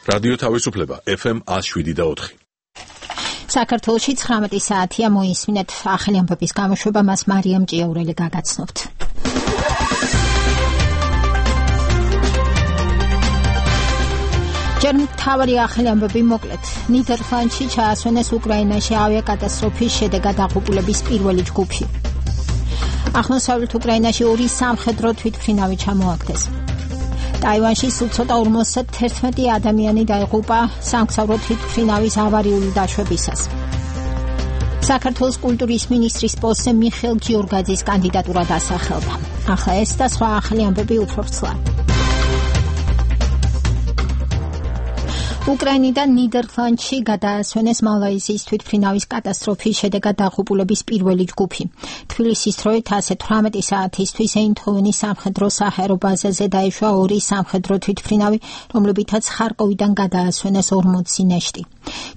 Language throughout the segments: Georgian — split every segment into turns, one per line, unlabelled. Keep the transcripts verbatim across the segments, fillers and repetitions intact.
რადიო თავისუფლება ეფ ემ one oh seven და four.
საქართველოში ცხრამეტი საათია მოისმინეთ ახალი ამბების გამოშვება მას მარიამ ჭიაურელი გაგაცნობთ. ჯერ მთავარი ახალი ამბები მოკლედ. ნიდერლანდში ჩაასვენეს უკრაინაში ავიაკატასტროფის შედეგად აღუპულების პირველი ჯგუფი. აღმოსავლეთ უკრაინაში ორი სამხედრო თვითმფრინავი ჩამოაგდეს. ტაივანში სულ ცოტა ორმოცდაერთმეტი ადამიანი დაიღუპა სამგზავრო თვითმფრინავის ავარიული დაშვებისას. საქართველოს კულტურის მინისტრის პოსტზე მიხეილ გიორგაძის კანდიდატურა დასახელდა. ახლა ეს და სხვა ახალი ამბები უფრო ვრცლად. უკრაინიდან ნიდერლანდში გადაასვენეს მალაიზიის თვითმფრინავის კატასტროფის შედეგად დაღუპულების პირველი ჯგუფი. თბილისის დროით ასე თვრამეტი საათისთვის ეინდჰოვენის სამხედრო საჰაერო ბაზაზე დაეშვა ორი სამხედრო თვითმფრინავი, რომლებითაც ხარკოვიდან გადაასვენეს ორმოცი ნეშტი.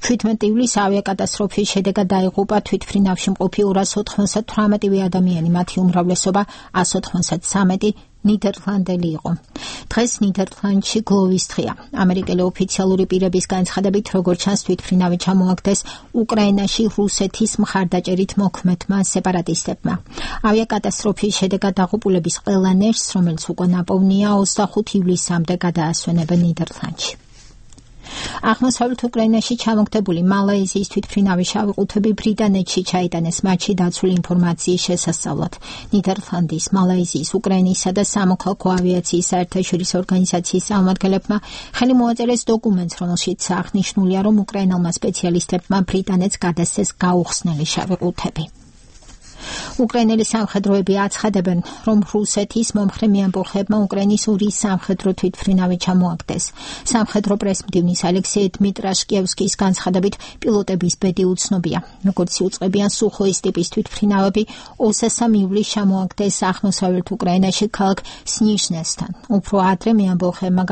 ჩვიდმეტი ივლისს ავიაკატასტროფის შედეგად დაიღუპა თვითმფრინავში მყოფი ორას ოთხმოცდათვრამეტი ადამიანი, მათი უმრავლესობა one hundred ოცდამეტი ნიდერლანდელი იყო. დღეს ნიდერლანდში გლოვის დღეა. ამერიკელი ოფიციალური პირების განცხადებით, როგორც ჩანს, თვითმფრინავი ჩამოაგდეს უკრაინაში რუსეთის მხარდაჭერით მოქმედმა სეპარატისტებმა. ავიაკატასტროფის შედეგად დაღუპულების ყველა ნეშტს, რომელიც უკვე ნაპოვნია, ოცდახუთი ივლისამდე გადაასვენებენ ნიდერლანდში. აღმოსავლეთ უკრაინაში ჩამოგდებული მალაიზიის თვითმფრინავის შავი ყუთები ბრიტანეთში ჩაიტანეს მათში დაცული ინფორმაციის შესასწავლად. ნიდერლანდის, მალაიზიის, უკრაინისა და სამოქალაქო ავიაციის საერთაშორისო ორგანიზაციის წარმომადგენლებმა ხელი მოაწერეს დოკუმენტს, რომელშიც აღნიშნულია, რომ უკრაინელმა სპეციალისტებმა ბრიტანეთს გადასცეს გაუხსნელი შავი ყუთები. უკრაინელი სამხედროები აცხადებენ, რომ რუსეთის მომხრე მეამბოხებმა უკრაინის ორი სამხედრო თვითმფრინავი ჩამოაგდეს. სამხედრო პრესმდივნის ალექსეი დმიტრაშკიევსკის განცხადებით, პილოტების ბედი უცნობია. როგორც იუწყებიან სუხოის ტიპის თვითმფრინავები, ოცდამესამე ივლისს ჩამოაგდეს აღმოსავლეთ უკრაინაში ქალაქ სნიჟნესთან. უფრო ადრე მეამბოხებმა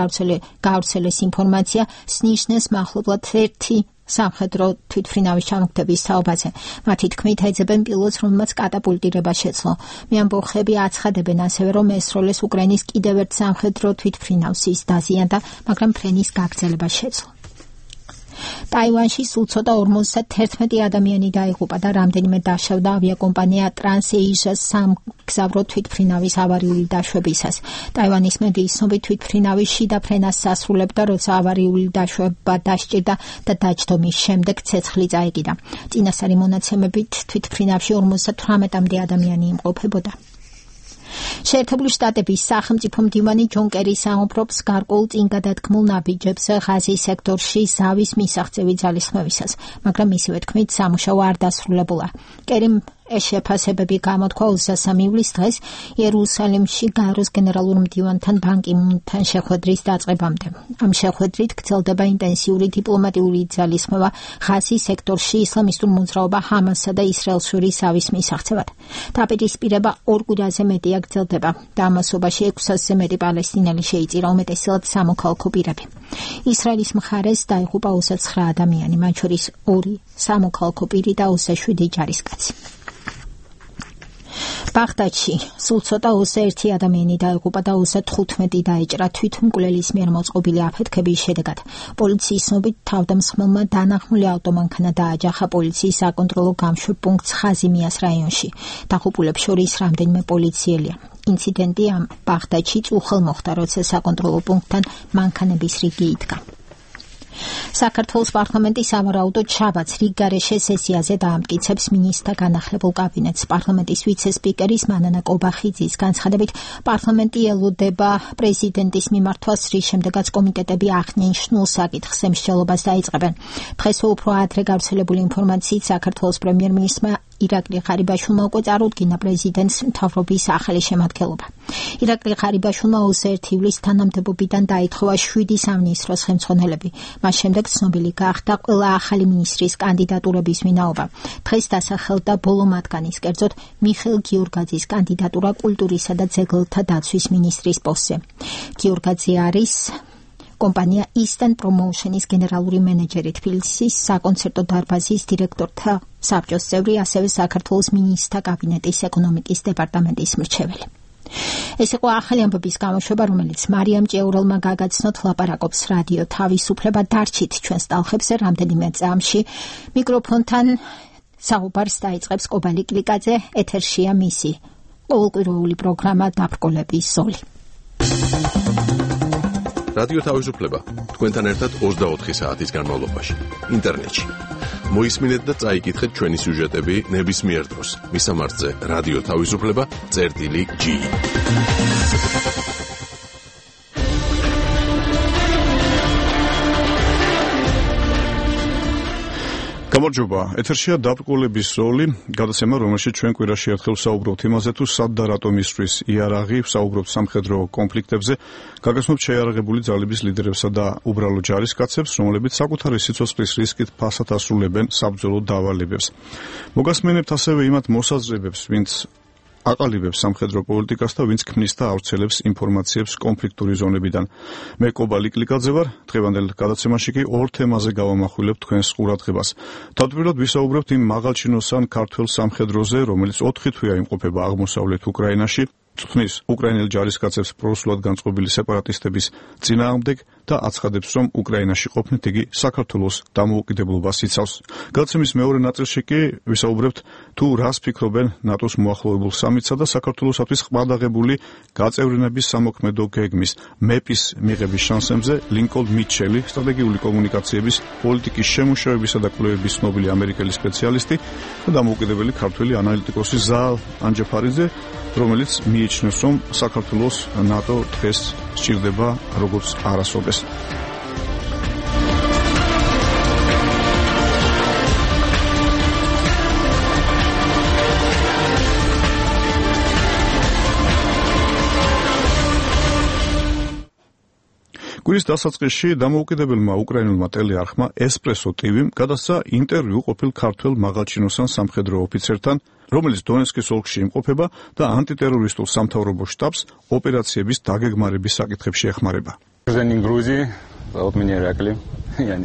გავრცელეს ინფორმაცია სნიჟნეს მახლობლად ერთი სამხედრო თვითმფრინავის ჩამოგდების თაობაზე. მათი თქმით, ეძებენ პილოტს, რომელმაც კატაპულტირება შეძლო. მეამბოხები აცხადებენ ასევე, რომ ესროლეს უკრაინის კიდევ ერთ სამხედრო თვითმფრინავს, ის დაზიანდა, მაგრამ ფრენის გაგრძელება შეძლო. ტაივანში სულ ცოტა ორმოცდაერთმეტი ადამიანი დაიღუპა და რამდენიმე დაშავდა ავიაკომპანია ტრანსეიშას სამგზავრო თვითმფრინავის ავარიული დაშვებისას. ტაივანის მედიის ცნობით, თვითმფრინავი შიდა ფრენას ასრულებდა, როცა ავარიული დაშვება დასჭირდა და დაჯდომის შემდეგ ცეცხლი წაეკიდა. წინასწარი მონაცემებით, თვითმფრინავში ორმოცდათვრამეტამდე ადამიანი იმყოფებოდა. შეერთებული შტატების სახელმწიფო მდივანი ჯონ კერის ამოფრობს გარკვეულ წინგადადგმულ ნაბიჯებს ღაზის სექტორში ზავის მისაღწევი ძალისხმევისას, მაგრამ მისივე თქმით, სამუშაო არ დასრულებულა. კერიმ ეს შეფასებები გამოთქვა ოცდამესამე ივლისს დღეს იერუსალიმში გაეროს გენერალურ მდივანთან ბან კი მუნთან შეხვედრის დაწყებამდე. ამ შეხვედრით გრძელდება ინტენსიური დიპლომატიური ძალისხმევა ღაზის სექტორში ისლამისტურ მოძრაობა ჰამასსა და ისრაელს შორის ზავის მისაღწევად. დაპირისპირება ორ კვირაზე მეტია გრძელდება და ამასობაში ექვსასზე მეტი პალესტინელი შეიწირა, უმეტესად სამოქალაქო პირები. ისრაელის მხარეს დაიღუპა ოცდაცხრა ადამიანი, მათ შორის ორი სამოქალაქო პირი და ოცდაშვიდი ჯარისკაცი. ბაღდადში სულ ცოტა ოცდაერთი ადამიანი დაიღუპა და ოცდათხუთმეტი დაეჭრა თვითმკვლელის მიერ მოწყობილი აფეთქების შედეგად. პოლიციის ცნობით, თავდამსხმელმა დანახმული ავტომანქანა დააჯახა პოლიციის საკონტროლო გამშვებ პუნქტს ხაზიმიას რაიონში. დაღუპულებს შორის რამდენიმე პოლიციელია. ინციდენტი ამ ბაღდადში წუხელ მოხდა, როცა საკონტროლო პუნქტთან მანქანების რიგი იდგა. საქართველოს პარლამენტი სავარაუდოდ შაბათს რიგგარეშე სესიაზე დაამტკიცებს მინისტრთა განახლებულ კაბინეტს. პარლამენტის ვიცე-სპიკერის მანანა კობახიძის განცხადებით, პარლამენტი ელოდება პრეზიდენტის მიმართვას, რის შემდეგაც კომიტეტები აღნიშნულ საკითხს ემსჯელობას დაიწყებენ. დღეს უფრო ადრე გავრცელებული ინფორმაციით, საქართველოს პრემიერ-მინისტრმა ირაკლი ღარიბაშვილმა უკვე წარუდგინა პრეზიდენტს მთავრობის ახალი შემადგენლობა. ირაკლი ღარიბაშვილმა ოცდაერთი ივლისს თანამდებობიდან დაითხოვა შვიდი სამინისტროს ხელმძღვანელები. მას შემდეგ ცნობილი გახდა ყველა ახალი მინისტრის კანდიდატურების ვინაობა. დღეს დასახელდა ბოლო მათგანის, კერძოდ მიხეილ გიორგაძის კანდიდატურა კულტურისა და ძეგლთა დაცვის მინისტრის პოსტზე. გიორგაძე არის კომპანია Eastern Promotion-ის გენერალური მენეჯერი, თბილისის საკონცერტო დარბაზის დირექტორთა საბჭოს წევრი, ასევე საქართველოს მინისტრთა კაბინეტის ეკონომიკის დეპარტამენტის მრჩეველი. ეს იყო ახალი ამბების გამოშვება, რომელიც მარიამ ჭეურელმა გაგაცნოთ, ლაპარაკობს რადიო თავისუფლება. დარჩით ჩვენს ტალხებზე რამდენიმე წამში. მიკროფონთან საუბარს დაიწყებს კობალი კლიკაძე, ეთერშია მისი ყოველკვირეული პროგრამა დაბრკოლების ზოლი.
რადიო თავისუფლება თქვენთან ერთად ოცდაოთხი საათის განმავლობაში ინტერნეტში. მოისმინეთ და წაიკითხეთ ჩვენი სიუჟეტები ნებისმიერ დროს. მისამართზე რადიო თავისუფლება წერტილი ჯი.
გამარჯობა, ეთერშია დაბრკოლების ზოლი, გადაცემა, რომელშიც ჩვენ კვირაში ერთხელ ვსაუბრობთ იმაზე, თუ სად და რატომ ისვრის იარაღი, ვსაუბრობთ სამხედრო კონფლიქტებზე, გაგაცნობთ შეიარაღებული ძალების ლიდერებსა და უბრალო ჯარისკაცებს, რომლებიც საკუთარი სიცოცხლის რისკით ფასად ასრულებენ საბრძოლო დავალებებს. მოგასმენებთ ასევე იმათ მოსაზრებებს, ვინც აყალიბებს სამხედრო პოლიტიკას და ვინც ქმნის და ავრცელებს ინფორმაციებს კონფლიქტური ზონებიდან. მე კობალი კლიკაძე ვარ, დღევანდელ გადაცემაში კი ორ თემაზე გავამახვილებ თქვენს ყურადღებას. თავდაპირველად ვისაუბრებთ იმ მაღალჩინოსან ქართველ სამხედროზე, რომელიც ოთხი თვეა იმყოფება აღმოსავლეთ უკრაინაში, წვნის უკრაინელ ჯარისკაცებს პროსულად განწყობილი სეპარატისტების წინააღმდეგ და აცხადებს, რომ უკრაინაში ყოფნით იგი საქართველოს დამოუკიდებლობას იცავს. გადაცემის მეორე ნაწილში კი ვისაუბრებთ თუ რას ფიქრობენ ნატოს მოახლოებულ სამიტსა და საქართველოსთვის ყმადაღებული გაწევრიანების სამოქმედო გეგმის მეპის მიღების შანსებზე ლინკოლნ მიჩელი, სტრატეგიული კომუნიკაციების პოლიტიკის შემუშავებისა და კვლევების ცნობილი ამერიკელი სპეციალისტი და დამოუკიდებელი ქართველი ანალიტიკოსი ზაალ ანჯაფარიძე, რომელიც მიიჩნევს, რომ საქართველოს ნატო დღეს სჭირდება როგორც არასოდეს. კვირის დასაწყისში დამოუკიდებელმა უკრაინულმა ტელეარხმა ესპრესო ტივიმ გადასცა ინტერვიუ ყოფილ ქართველ მაღალჩინოსან სამხედრო ოფიცერთან, რომელიც დონეცკის ოლქში იმყოფება და ანტიტერორისტულ სამთავრობო შტაბს ოპერაციების დაგეგმარების საკითხებში ეხმარება.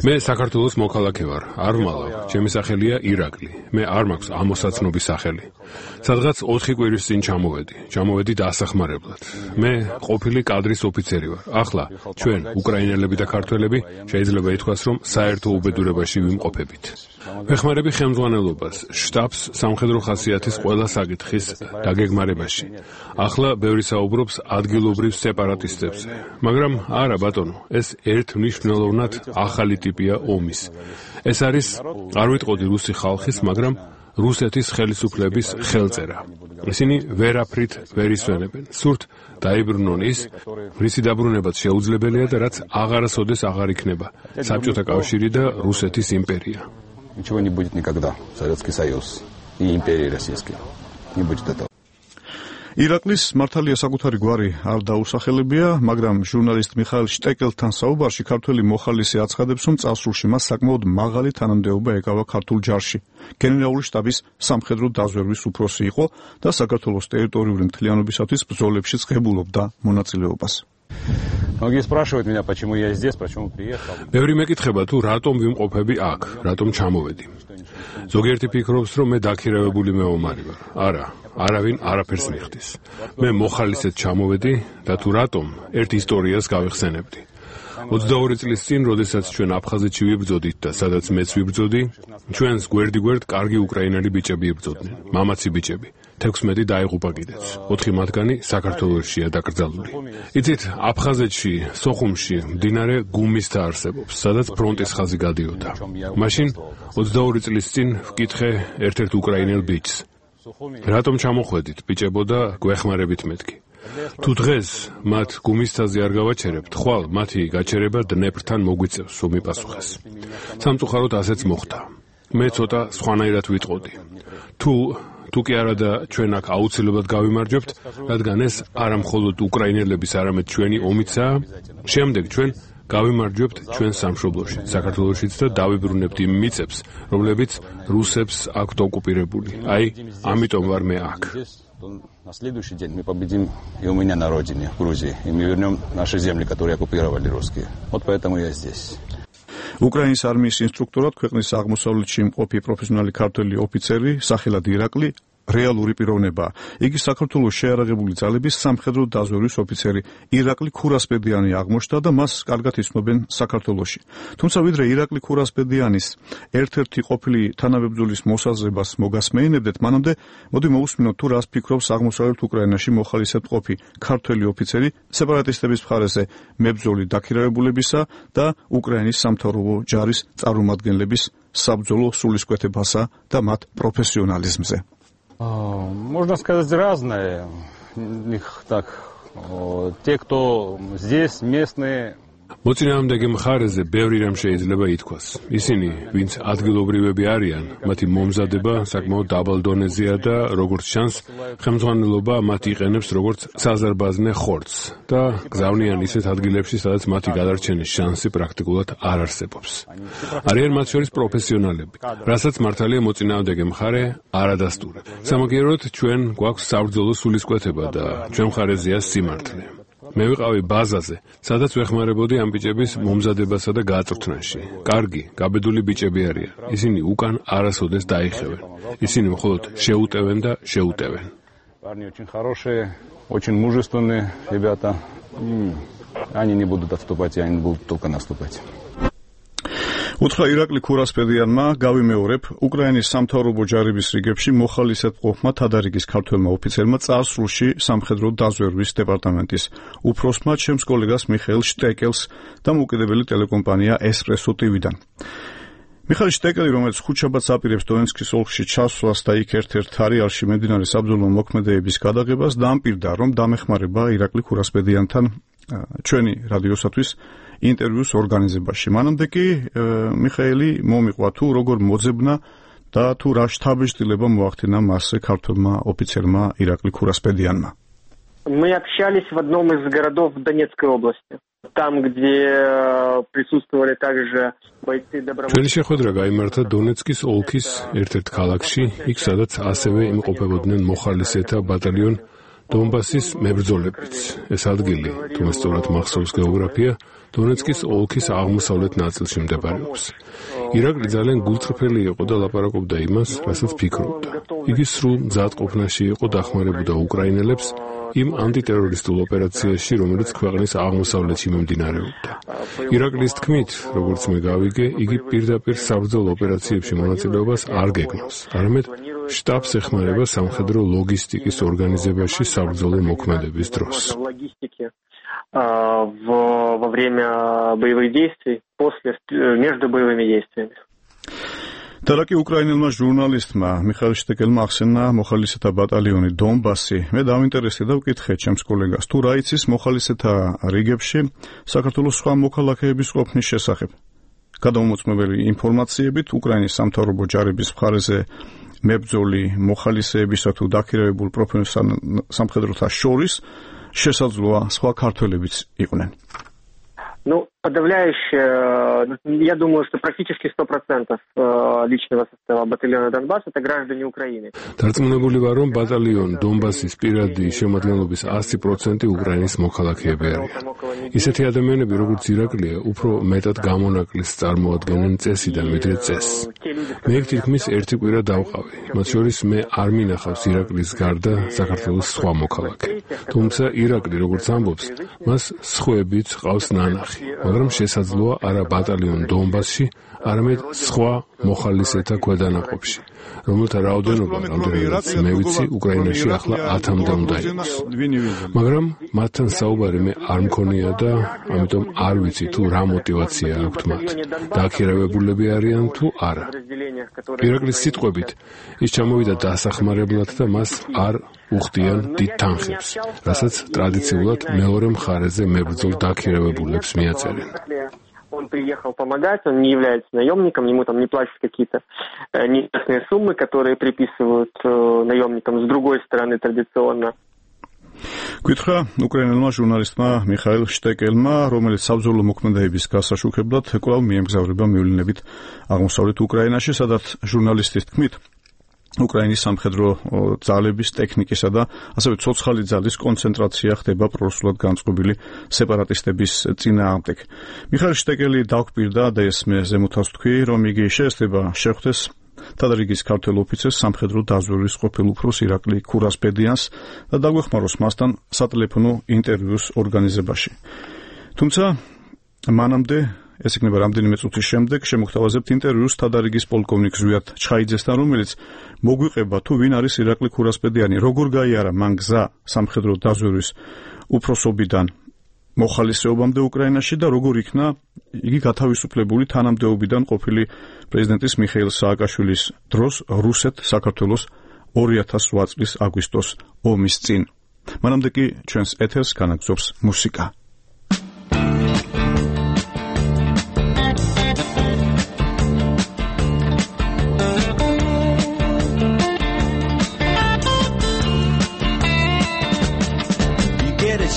მე საქართველოს მოქალაქე ვარ, არ ვმალავ. ჩემი სახელია ირაკლი. მე არ მაქვს ამოსაცნობის სახელი. სადღაც ოთხი კვირის წინ ჩამოვედი. ჩამოვედი დასახმარებლად. მე ყოფილი კადრის ოფიცერი ვარ. ახლა ჩვენ უკრაინელები და ქართველები შეიძლება ითქვას, რომ საერთო უბედურებაში ვიმყოფებით. ვეხმარები ხელმძღვანელობას, შტაბს სამხედრო ხასიათის ყველა საკითხის დაგეგმარებაში. ახლა ბევრი საუბრობს ადგილობრივ სეპარატისტებზე, მაგრამ არა ბატონო, ეს ერთმნიშვნელოვნად ახალი ტიპია ომის. ეს არის, არ ვიტყოდი რუსი ხალხის, მაგრამ რუსეთის ხელისუფლების ხელწერა. ისინი ვერაფრით ვერ ისვენებენ. სურთ დაიბრუნონ ის, რისი დაბრუნებაც შეუძლებელია და რაც აღარასოდეს აღარ იქნება. საბჭოთა კავშირი და რუსეთის იმპერია.
Ничего не будет никогда. Советский Союз и империя российская. Не будет этого.
ირაკლის მართალია საკუთარი გვარი არ დაუსახელებია, მაგრამ ჟურნალისტ მიხაილ შტეკელთან საუბარში ქართველი მოხალისე აცხადებს, რომ წარსულში მას საკმაოდ მაღალი თანამდებობა ეკავა ქართულ ჯარში. გენერალური შტაბის სამხედრო დაზვერვის უფროსი იყო და საქართველოს ტერიტორიული მთლიანობისათვის ბრძოლებშიც ღებულობდა მონაწილეობას.
Многие спрашивают меня, почему я здесь, почему приехал.
ბევრი მეკითხება თუ რატომ ვიმყოფები აქ, რატომ ჩამოვედი. ზოგიერთი ფიქრობს, რომ მე დაქირავებული მეომარი ვარ. არა, არავინ არაფერს მიხდის. მე მოხალისედ ჩამოვედი და თუ რატომ ერთ ისტორიას გავიხსენებდი. ოცდაორი წლის წინ, როდესაც ჩვენ აფხაზეთში ვიბრძოდით და სადაც მეც ვიბრძოდი, ჩვენს გვერდ-გვერდ კარგი უკრაინელი ბიჭები იბრძოდნენ, მამაცი ბიჭები. თექვსმეტი დაიღუპა კიდეც. ოთხი მათგანი საქართველოსშია დაკრძალული. იცით, აფხაზეთში, სოხუმში მდინარე გუმისთა არსებობს, სადაც ფრონტის ხაზი გადიოდა. მაშინ ოცდაორი წლის წინ ვკითხე ერთ-ერთ უკრაინელ ბიჭს. რატომ ჩამოხვედით, ბიჭებო და გვეხმარებით მეთქი. თუ დღეს მათ გუმისთაზე არ გავაჩერებთ, ხვალ მათი გაჩერება დნეპრთან მოგვიწევს, რომ მიპასუხეს. სამწუხაროდ ასეც მოხდა. მე ცოტა სხვანაირად ვიტყოდი. თუ თუ კი არა და ჩვენ აქ აუცილებლად გავიმარჯვებთ, რადგან ეს არა მხოლოდ უკრაინელების, არამედ ჩვენი ომიცაა, შემდეგ ჩვენ გავიმარჯვებთ ჩვენ სამშობლოში, საქართველოშიც და დავიბრუნებთ იმ მიწებს, რომლებიც რუსებს აქვთ ოკუპირებული. აი, ამიტომ ვარ მე აქ.
На следующий день мы победим и у меня на родине, в Грузии, и мы вернем наши земли, которые оккупировали русские. Вот поэтому я здесь.
უკრაინის არმიის ინსტრუქტორად ქვეყნის აღმოსავლეთში იმყოფი პროფესიონალი ქართველი ოფიცერი, სახელად ირაკლი, რეალური პიროვნებაა. იგი საქართველოს შეიარაღებული ძალების სამხედრო დაზვერვის ოფიცერი ირაკლი ქურასპედიანი აღმოჩნდა და მას კარგად იცნობენ საქართველოში. თუმცა ვიდრე ირაკლი ქურასპედიანის ერთ-ერთი ყოფილი თანამებრძოლის მოსაზრებას მოგასმეინებდეთ, მანამდე მოდი მოусმინოთ თუ რას ფიქრობს აღმოსავლეთ უკრაინაში მოხალისეებყოფი ქართველი ოფიცერი სეპარატისტების მხარეზე მებრძოლი დაქირავებულებისა და უკრაინის სამთავრობო ჯარის წარმომადგენლების საბრძოლო სულისკვეთებასა და მათ პროფესიონალიზმზე.
Можно сказать разное. Так, те, кто здесь местные.
მოწინააღმდეგე მხარეზე ბევრი რამ შეიძლება ითქვას. ისინი, ვინც ადგილობრივები არიან, მათი მომზადება საკმაოდ დაბალ დონეზეა და როგორც ჩანს, ხელმძღვანელობა მათ იყენებს როგორც საზარბაზნე ხორცს და გზავნიან ისეთ ადგილებში, სადაც მათი გადარჩენის შანსი პრაქტიკულად არ არსებობს. არიან მათ შორის პროფესიონალები, რასაც მართალია მოწინააღმდეგე მხარე არ ადასტურებს. სამაგიეროდ ჩვენ გვაქვს საბრძოლო სულისკვეთება და ჩვენ მხარეზეა სიმართლე. მე ვიყავი ბაზაზე, სადაც ვეხმარებოდი ამ ბიჭების მომზადებასა და გაწვრთნაში. კარგი, გაბედული ბიჭები არიან. ისინი უკან არასოდეს დაიხევენ. ისინი მხოლოდ შეუტევენ და შეუტევენ.
Парни очень хорошие, очень мужественные ребята. Они не будут отступать, они будут только наступать.
უთხრა ირაკლი ქურასპედიანმა, გავიმეორებ, უკრაინის სამთავრობო ჯარების რიგებში მოხალისეებყოფმა თადარიგის ქართველმა ოფიცერმა წარსულში სამხედრო დაზვერვის დეპარტამენტის უფროსმა ჩემს კოლეგას მიხეილ შტეკელს დამოუკიდებელი ტელეკომპანია ესპრესო ტივიდან. მიხეილ შტეკელი, რომელიც ხუთშაბათს აპირებს დონეცკის ოლქში ჩასვლას და იქ ერთ-ერთ არეალში მიმდინარე საბრძოლო მოქმედებების გადაღებას, დაამპირდა, რომ დამეხმარება ირაკლი ქურასპედიანთან ჩვენი რადიოსათვის ინტერვიუს ორგანიზებაში. მანამდე კი მიხეილი მომიყვა თუ როგორ მოძებნა და თუ რა შთაბეჭდილება მოახდინა მასზე ქართველმა ოფიცერმა ირაკლი ქურასპედიანმა.
Мы общались в одном из городов Донецкой области. Там, где присутствовали также бойцы добровольцев.
ჩვენი შეხვედრა გაიმართა დონეცკის ოლქის ერთ-ერთ ქალაქში, იქ სადაც ასევე იმყოფებოდნენ მოხალისეთა ბატალიონ დონბასის მებრძოლებიც. ეს ადგილი, თუ მე სწორად მახსოვს გეოგრაფია, დონეცკის ოლქის აღმოსავლეთ ნაწილში მდებარეობს. ირაკლი ძალიან გულწრფელი იყო და ლაპარაკობდა იმას, რასაც ფიქრობდა. იგი სრულ მზადყოფნაში იყო, დახმარებოდა უკრაინელებს იმ ანტიტერორისტულ ოპერაციაში, რომელიც ქვეყნის აღმოსავლეთში მიმდინარეობდა. ირაკლის თქმით, როგორც მე გავიგე, იგი პირდაპირ საბრძოლო ოპერაციებში მონაწილეობას არ გეგმავს, არამედ штабს ეხმარება სამხედრო ლოგისტიკის ორგანიზებაში საბრძოლო მოქმედების დროს.
во время боевых действий, после, между боевыми действиями.
Тараки უკრაინელმა ჟურნალისტმა მიხეილ შტეკელმა ახსენა მოხალისეთა ბატალიონი დონბასი. მე დავინტერესდი და ვკითხე ჩემს კოლეგას, თუ რა იცის მოხალისეთა რიგებში საქართველოს სხვა მოქალაქეების ყოფნის შესახებ. გადამომოწმებელი ინფორმაციებით უკრაინის სამთავრობო ჯარების მხარეზე მებრძოლი მოხალისეებისა თუ დაქირავებულ პროფესიონალ სამხედროთა შორის შესაძლოა სხვა ქართველებიც იყვნენ.
Ну, подавляющее, я думаю, что практически сто процентов личного состава батальона Донбасс это граждане Украины.
დარწმუნებული ვარ, რომ ბატალიონ დონბასის პირადი შემადგენლობის ასი პროცენტი უკრაინის მოქალაქეები არიან. ისეთი ადამიანები, როგორც ირაკლია, უფრო მეტად გამონაკლისს წარმოადგენენ წესიდან, ვიდრე წესს. მე იქ თითქმის ერთი კვირა დავყავი. მათ შორის მე არ მინახავს ირაკლის გარდა საქართველოს სხვა მოქალაქე. თუმცა ირაკლი, როგორც ამბობს, მას სხვაებიც ყავს ნანახი. მაგრამ შესაძლოა არა ბატალიონ დონბასში, არამედ სხვა მოხალისეთა ქვედანაყოფში, რომელთა რაოდენობა, რამდენადაც მე ვიცი, უკრაინაში ახლა ათამდე უნდა იყოს. მაგრამ მათთან საუბარი მე არ მქონია და ამიტომ არ ვიცი თუ რა мотиваცია აქვთ მათ. დაქირავებულები არიან თუ არა. ირაკლის სიტყვებით, ის ჩამოვიდა დასახმარებლად და მას არ უხდიან დიდ თანხებს, რასაც ტრადიციულად მეორე მხარეზე მებრძოლ დაქირავებულებს მიაწერენ.
Он приехал помогать, он не является наемником, ему там не платят какие-то неясные суммы, которые приписывают наемникам с другой стороны традиционно.
Გითხრა უკრაინელმა ჟურნალისტმა მიხეილ შტეკელმა, რომელიც საბრძოლო მოქმედებების გასაშუქებლად კვლავ მიემგზავრება მივლინებით აღმოსავლეთ უკრაინაში, სადაც ჟურნალისტის თქმით უკრაინის სამხედრო ძალების ტექნიკისა და ასევე ცოცხალი ძალის კონცენტრაცია ხდება პრორუსულად განწყობილი სეპარატისტების წინააღმდეგ. მიხეილ შტეკელი დაგვპირდა და ეს მე ზემოთავს თქვი, რომ იგი შეესწრება შეხვდეს თადრიგის ქართველ ოფიცერს სამხედრო დაზვერვის ყოფილ უფროს ირაკლი ქურასპედიანს და დაგვეხმაროს მასთან სატელეფონო ინტერვიუს ორგანიზებაში. თუმცა მანამდე ეს იქნება რამდენიმე წუთის შემდეგ შემოგთავაზებთ ინტერვიუს თადარიგის პოლკოვნიკ ზვიად ჩხაიძესთან, რომელიც მოგვიყება თუ ვინ არის ირაკლი ქურასპედიანი, როგორ გაიარა მან გზა სამხედრო დაზვერვის უფროსობიდან მოხალისეობამდე უკრაინაში და როგორ იქნა იგი გათავისუფლებული თანამდებობიდან ყოფილი პრეზიდენტის მიხეილ სააკაშვილის დროს რუსეთ-საქართველოს ორი ათას ოთხ წლის აგვისტოს ომის წინ. მანამდე კი ჩვენს ეთერს განაგზობს მუსიკა.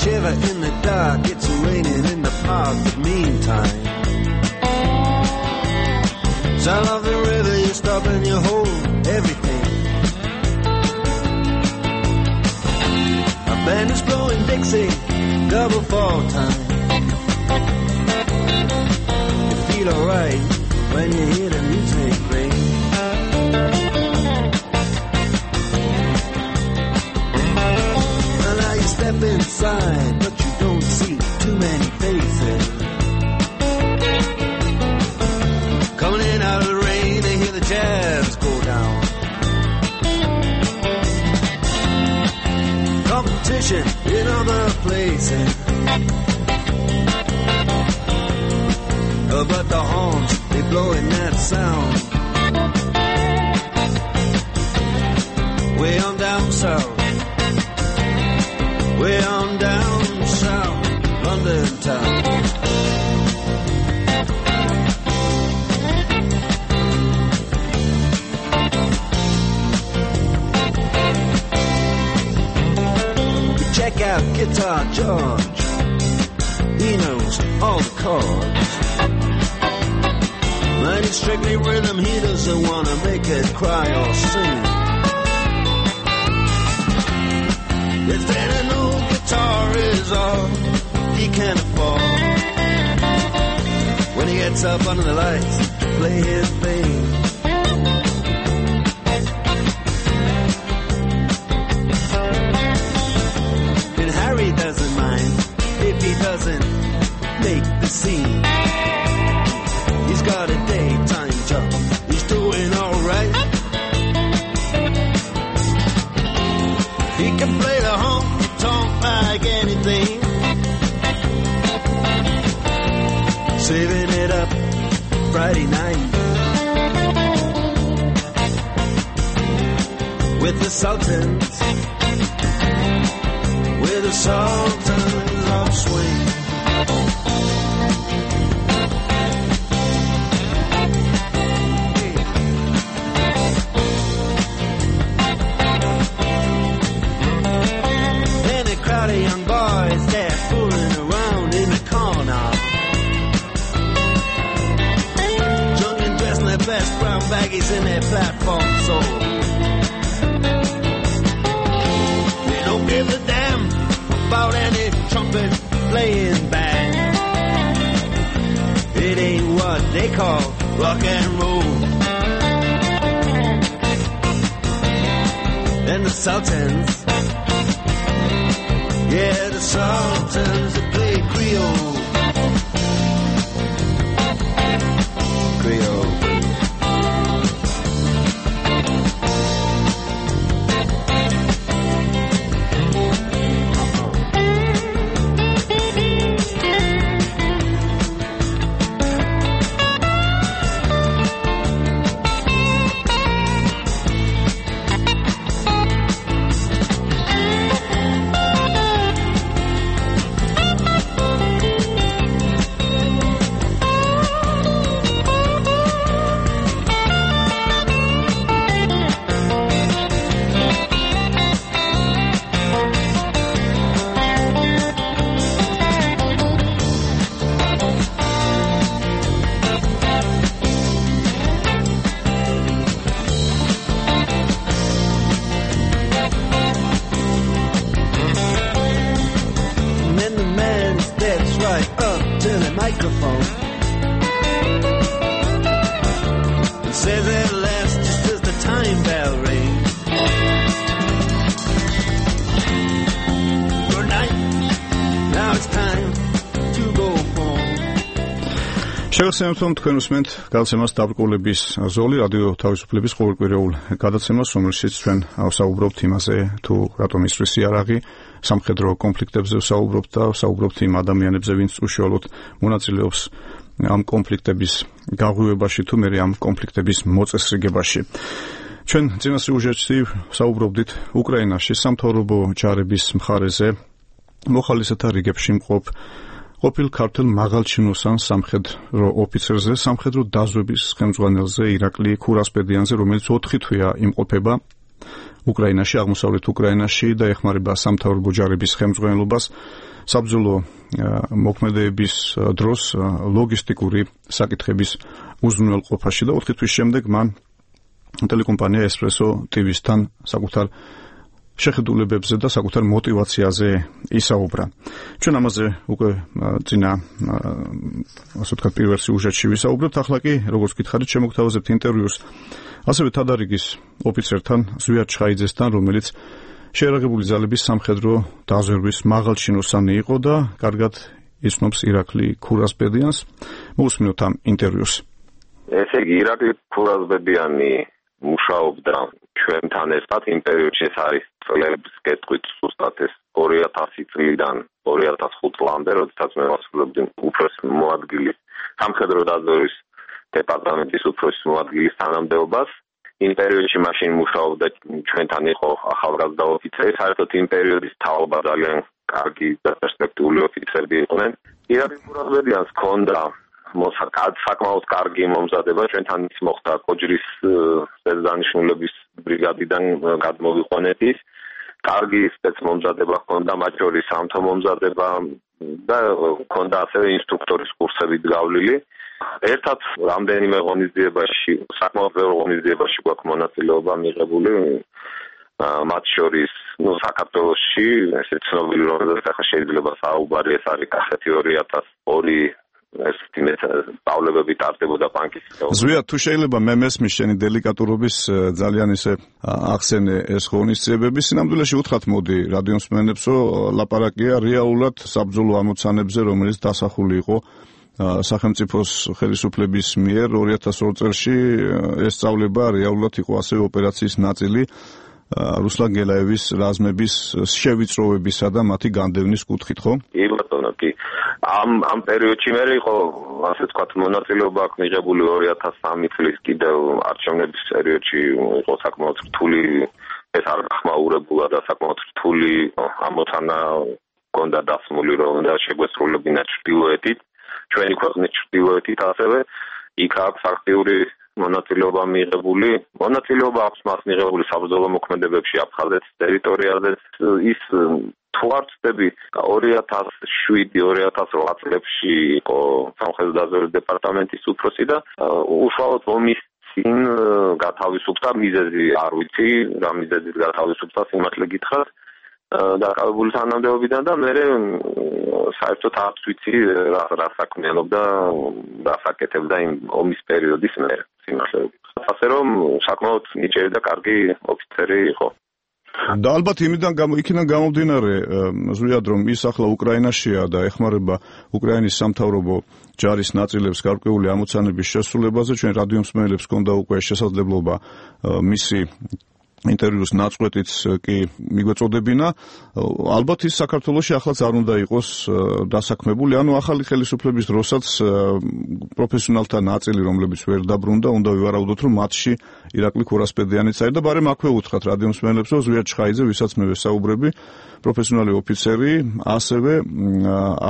Shiver in the dark, it's raining in the park, but meantime sound of the river, you stop and you hold everything. A band is blowing Dixie, double fall time. You feel alright when you hear the music ring. Step inside, but you don't see too many faces. Coming in out of the rain, they hear the jazz go down. Competition in other places, oh, but the horns, they blowing that sound. Way on down south, way on down south, London town. We check out Guitar George, he knows all the chords. Mine is strictly rhythm, he doesn't want to make it cry or sing. If then an old guitar is all he can afford, when he gets up under the lights to play his thing, and Harry doesn't mind if he doesn't make the scene. He's got a daytime job, he's doing alright. He can play the honky-tonk like anything, saving it up Friday night with the Sultans, with the Sultans of Swing. Young boys, they're fooling around in the corner, drunk and dressed in their best brown baggies in their platform soul. They don't give a damn about any trumpet playing band. It ain't what they call rock and roll. And the Sultans, yeah, the Sultans that play Creole. Creole.
შეგახსენებთ, რომ თქვენ უსმენთ გადაცემას დაბრკოლების ზოლი რადიო თავისუფლების ყოველკვირეულ გადაცემას, რომელშიც ჩვენ ვსაუბრობთ იმაზე, თუ რატომ ისვრის იარაღი, სამხედრო კონფლიქტებზე ვსაუბრობთ და ვსაუბრობთ იმ ადამიანებზე, ვინც უშუალოდ მონაწილეობს ამ კონფლიქტების გაღვივებაში თუ მერე ამ კონფლიქტების მოწესრიგებაში. ჩვენ წინა სიუჟეტში ვსაუბრობდით უკრაინაში სამთავრობო ჯარების მხარეზე მოხალისეთა რიგებში მყოფ ყოფილ ქართულ მაღალჩინოსან სამხედრო ოფიცერზე, სამხედრო დაზვების ხელმძღვანელზე ირაკლი ქურასპედიანზე, რომელიც ოთხი თვეა იმყოფება უკრაინაში, აღმოსავლეთ უკრაინაში და ეხმარება სამთავრობო ჯარების ხელმძღვანელობას საბრძოლო მოქმედებების დროს ლოგისტიკური საკითხების უზრუნველყოფაში და ოთხი თვის შემდეგ მან ტელეკომპანია ესპრესო ტი ვისთან საკუთარ შეხედულებებზე და საკუთარ мотивაციაზე ისაუბრა. ჩვენ ამაზე უკვე წინა ასე ვთქვათ პირველ სიუჟეტში ვისაუბრეთ, ახლა კი როგორც გითხარით შემოგთავაზებთ ინტერვიუს ასევე თადარიგის ოფიცერთან ზვიად ჩხაიძესთან, რომელიც შეიარაღებული ძალების სამხედრო დაზვერვის მაღალჩინოსანი იყო და კარგად იცნობს ირაკლი ქურასპედიანს. მოусმინოთ ამ ინტერვიუს.
ესე იგი ირაკლი ქურასპედიანი მუშაობდა ჩვენთან ერთად იმ პერიოდში, ეს არის წლების კეთხვით ზუსტად ეს ორი ათასი წლიდან ორი ათას ხუთი წლამდე, როდესაც მე ვასრულებდი უფროსის მოადგილის სამხედრო დაზვერვის დეპარტამენტის უფროსის მოადგილის თანამდებობას. იმ პერიოდში მაშინ მუშაობდა ჩვენთან იყო ახალგაზრდა ოფიცერი, საერთოდ იმ პერიოდის თაობა ძალიან კარგი და პერსპექტიული ოფიცერები იყვნენ. ირაკლი ქურასპედიანს ჰქონდა მოსაკად საკმაოდ კარგი მომზადება, ჩვენთან ის მოხდა კოჯრის სპეცდანიშნულების ბრიგადიდან გადმოვიყვანეთ. კარგი სპეცმომზადება ჰქონდა, მათ შორის სამთო მომზადება და ჰქონდა ასევე ინსტრუქტორის კურსებით გავლილი. ერთად რამდენიმე ღონისძიებაში, საკმაოდ ბევრ ღონისძიებაში გვაქვს მონაწილეობა მიღებული, მათ შორის ნუ საქართველოში ესე ცნობილი რომელზეც ახლა შეიძლება საუბარი, ეს არის კახეთი ორი ათას ორი ეს თიმეთ პავლევები ტარდებოდა ბანკის.
ზვიად, თუ შეიძლება მე მესმის შენი დელიკატურობის ძალიან ისე ახსენე ეს ღონისძიებები, სინამდვილეში უთხრათ მოდი რადიო მსმენელებს, რომ ლაპარაკია რეალურად საბრძოლო ამოცანებზე, რომელიც დასახული იყო სახელმწიფოს ხელისუფლების მიერ ორი ათას ორი წელში. ეს სწავლება რეალურად იყო ასევე ოპერაციის ნაწილი რუსლან გელაევის რაზმების შევიწროვებისა და მათი განდევნის კუთხით, ხო?
კი ბატონო, კი. ამ ამ პერიოდში მე იყო ასე ვთქვათ მონაწილეობა აქვს მიღებული ორი ათას სამი წლის კიდევ არჩევნების პერიოდში იყო საკმაოდ რთული, ეს არ გახმაურებულა და საკმაოდ რთული ამოცანა ჰქონდა დასმული, რომ უნდა შეგვესრულებინა ჩრდილოეთით, ჩვენი ქვეყნის ჩრდილოეთით ასევე იქ აქვს აქტიური მონაწილეობა მიღებული. მონაწილეობა აქვს მას მიღებული საბრძოლო მოქმედებებში აფხაზეთის ტერიტორიაზე. ის თუ არ ვცდები ორი ათას შვიდი ორი ათას რვა წლებში იყო სამხედრო დაზვერვის დეპარტამენტის უფროსი და უშუალოდ ომის წინ გათავისუფლდა, მიზეზი არ ვიცი, რა მიზეზით გათავისუფლდა, სიმართლე გითხრათ, დაკავებული თანამდებობიდან და მე საერთოდ არ ვიცი რა რა საქმიანობდა, რა საკეთებდა იმ ომის პერიოდის მე სიმართლე. ასე რომ საკმაოდ ნიჭიერი და კარგი ოფიცერი იყო.
და ალბათ იმიდან იქიდან გამომდინარე ზვიად, რომ ის ახლა უკრაინაშია და ეხმარება უკრაინის სამთავრობო ჯარის ნაწილებს გარკვეული ამოცანების შესრულებაზე, ჩვენ რადიო მსმენელებს ჰქონდა უკვე შესაძლებლობა მისი ინტერვიუს ნაწყვეტიც კი მიგვეწოდებინა. ალბათ ის საქართველოში ახლა არ უნდა იყოს დასაქმებული, ანუ ახალი ხელისუფლების დროსაც პროფესიონალთა ნაწილი, რომლებიც ვერ დაბრუნდა, უნდა ვივარაუდოთ, რომ მათში ირაკლი ქურასპედიანიც არის და ბარემ აქვე უთხრათ რადიო მსმენელებს, რომ ზვიად ჩხაიძე, ვისაც მე ვესაუბრები, პროფესიონალი ოფიცერი, ასევე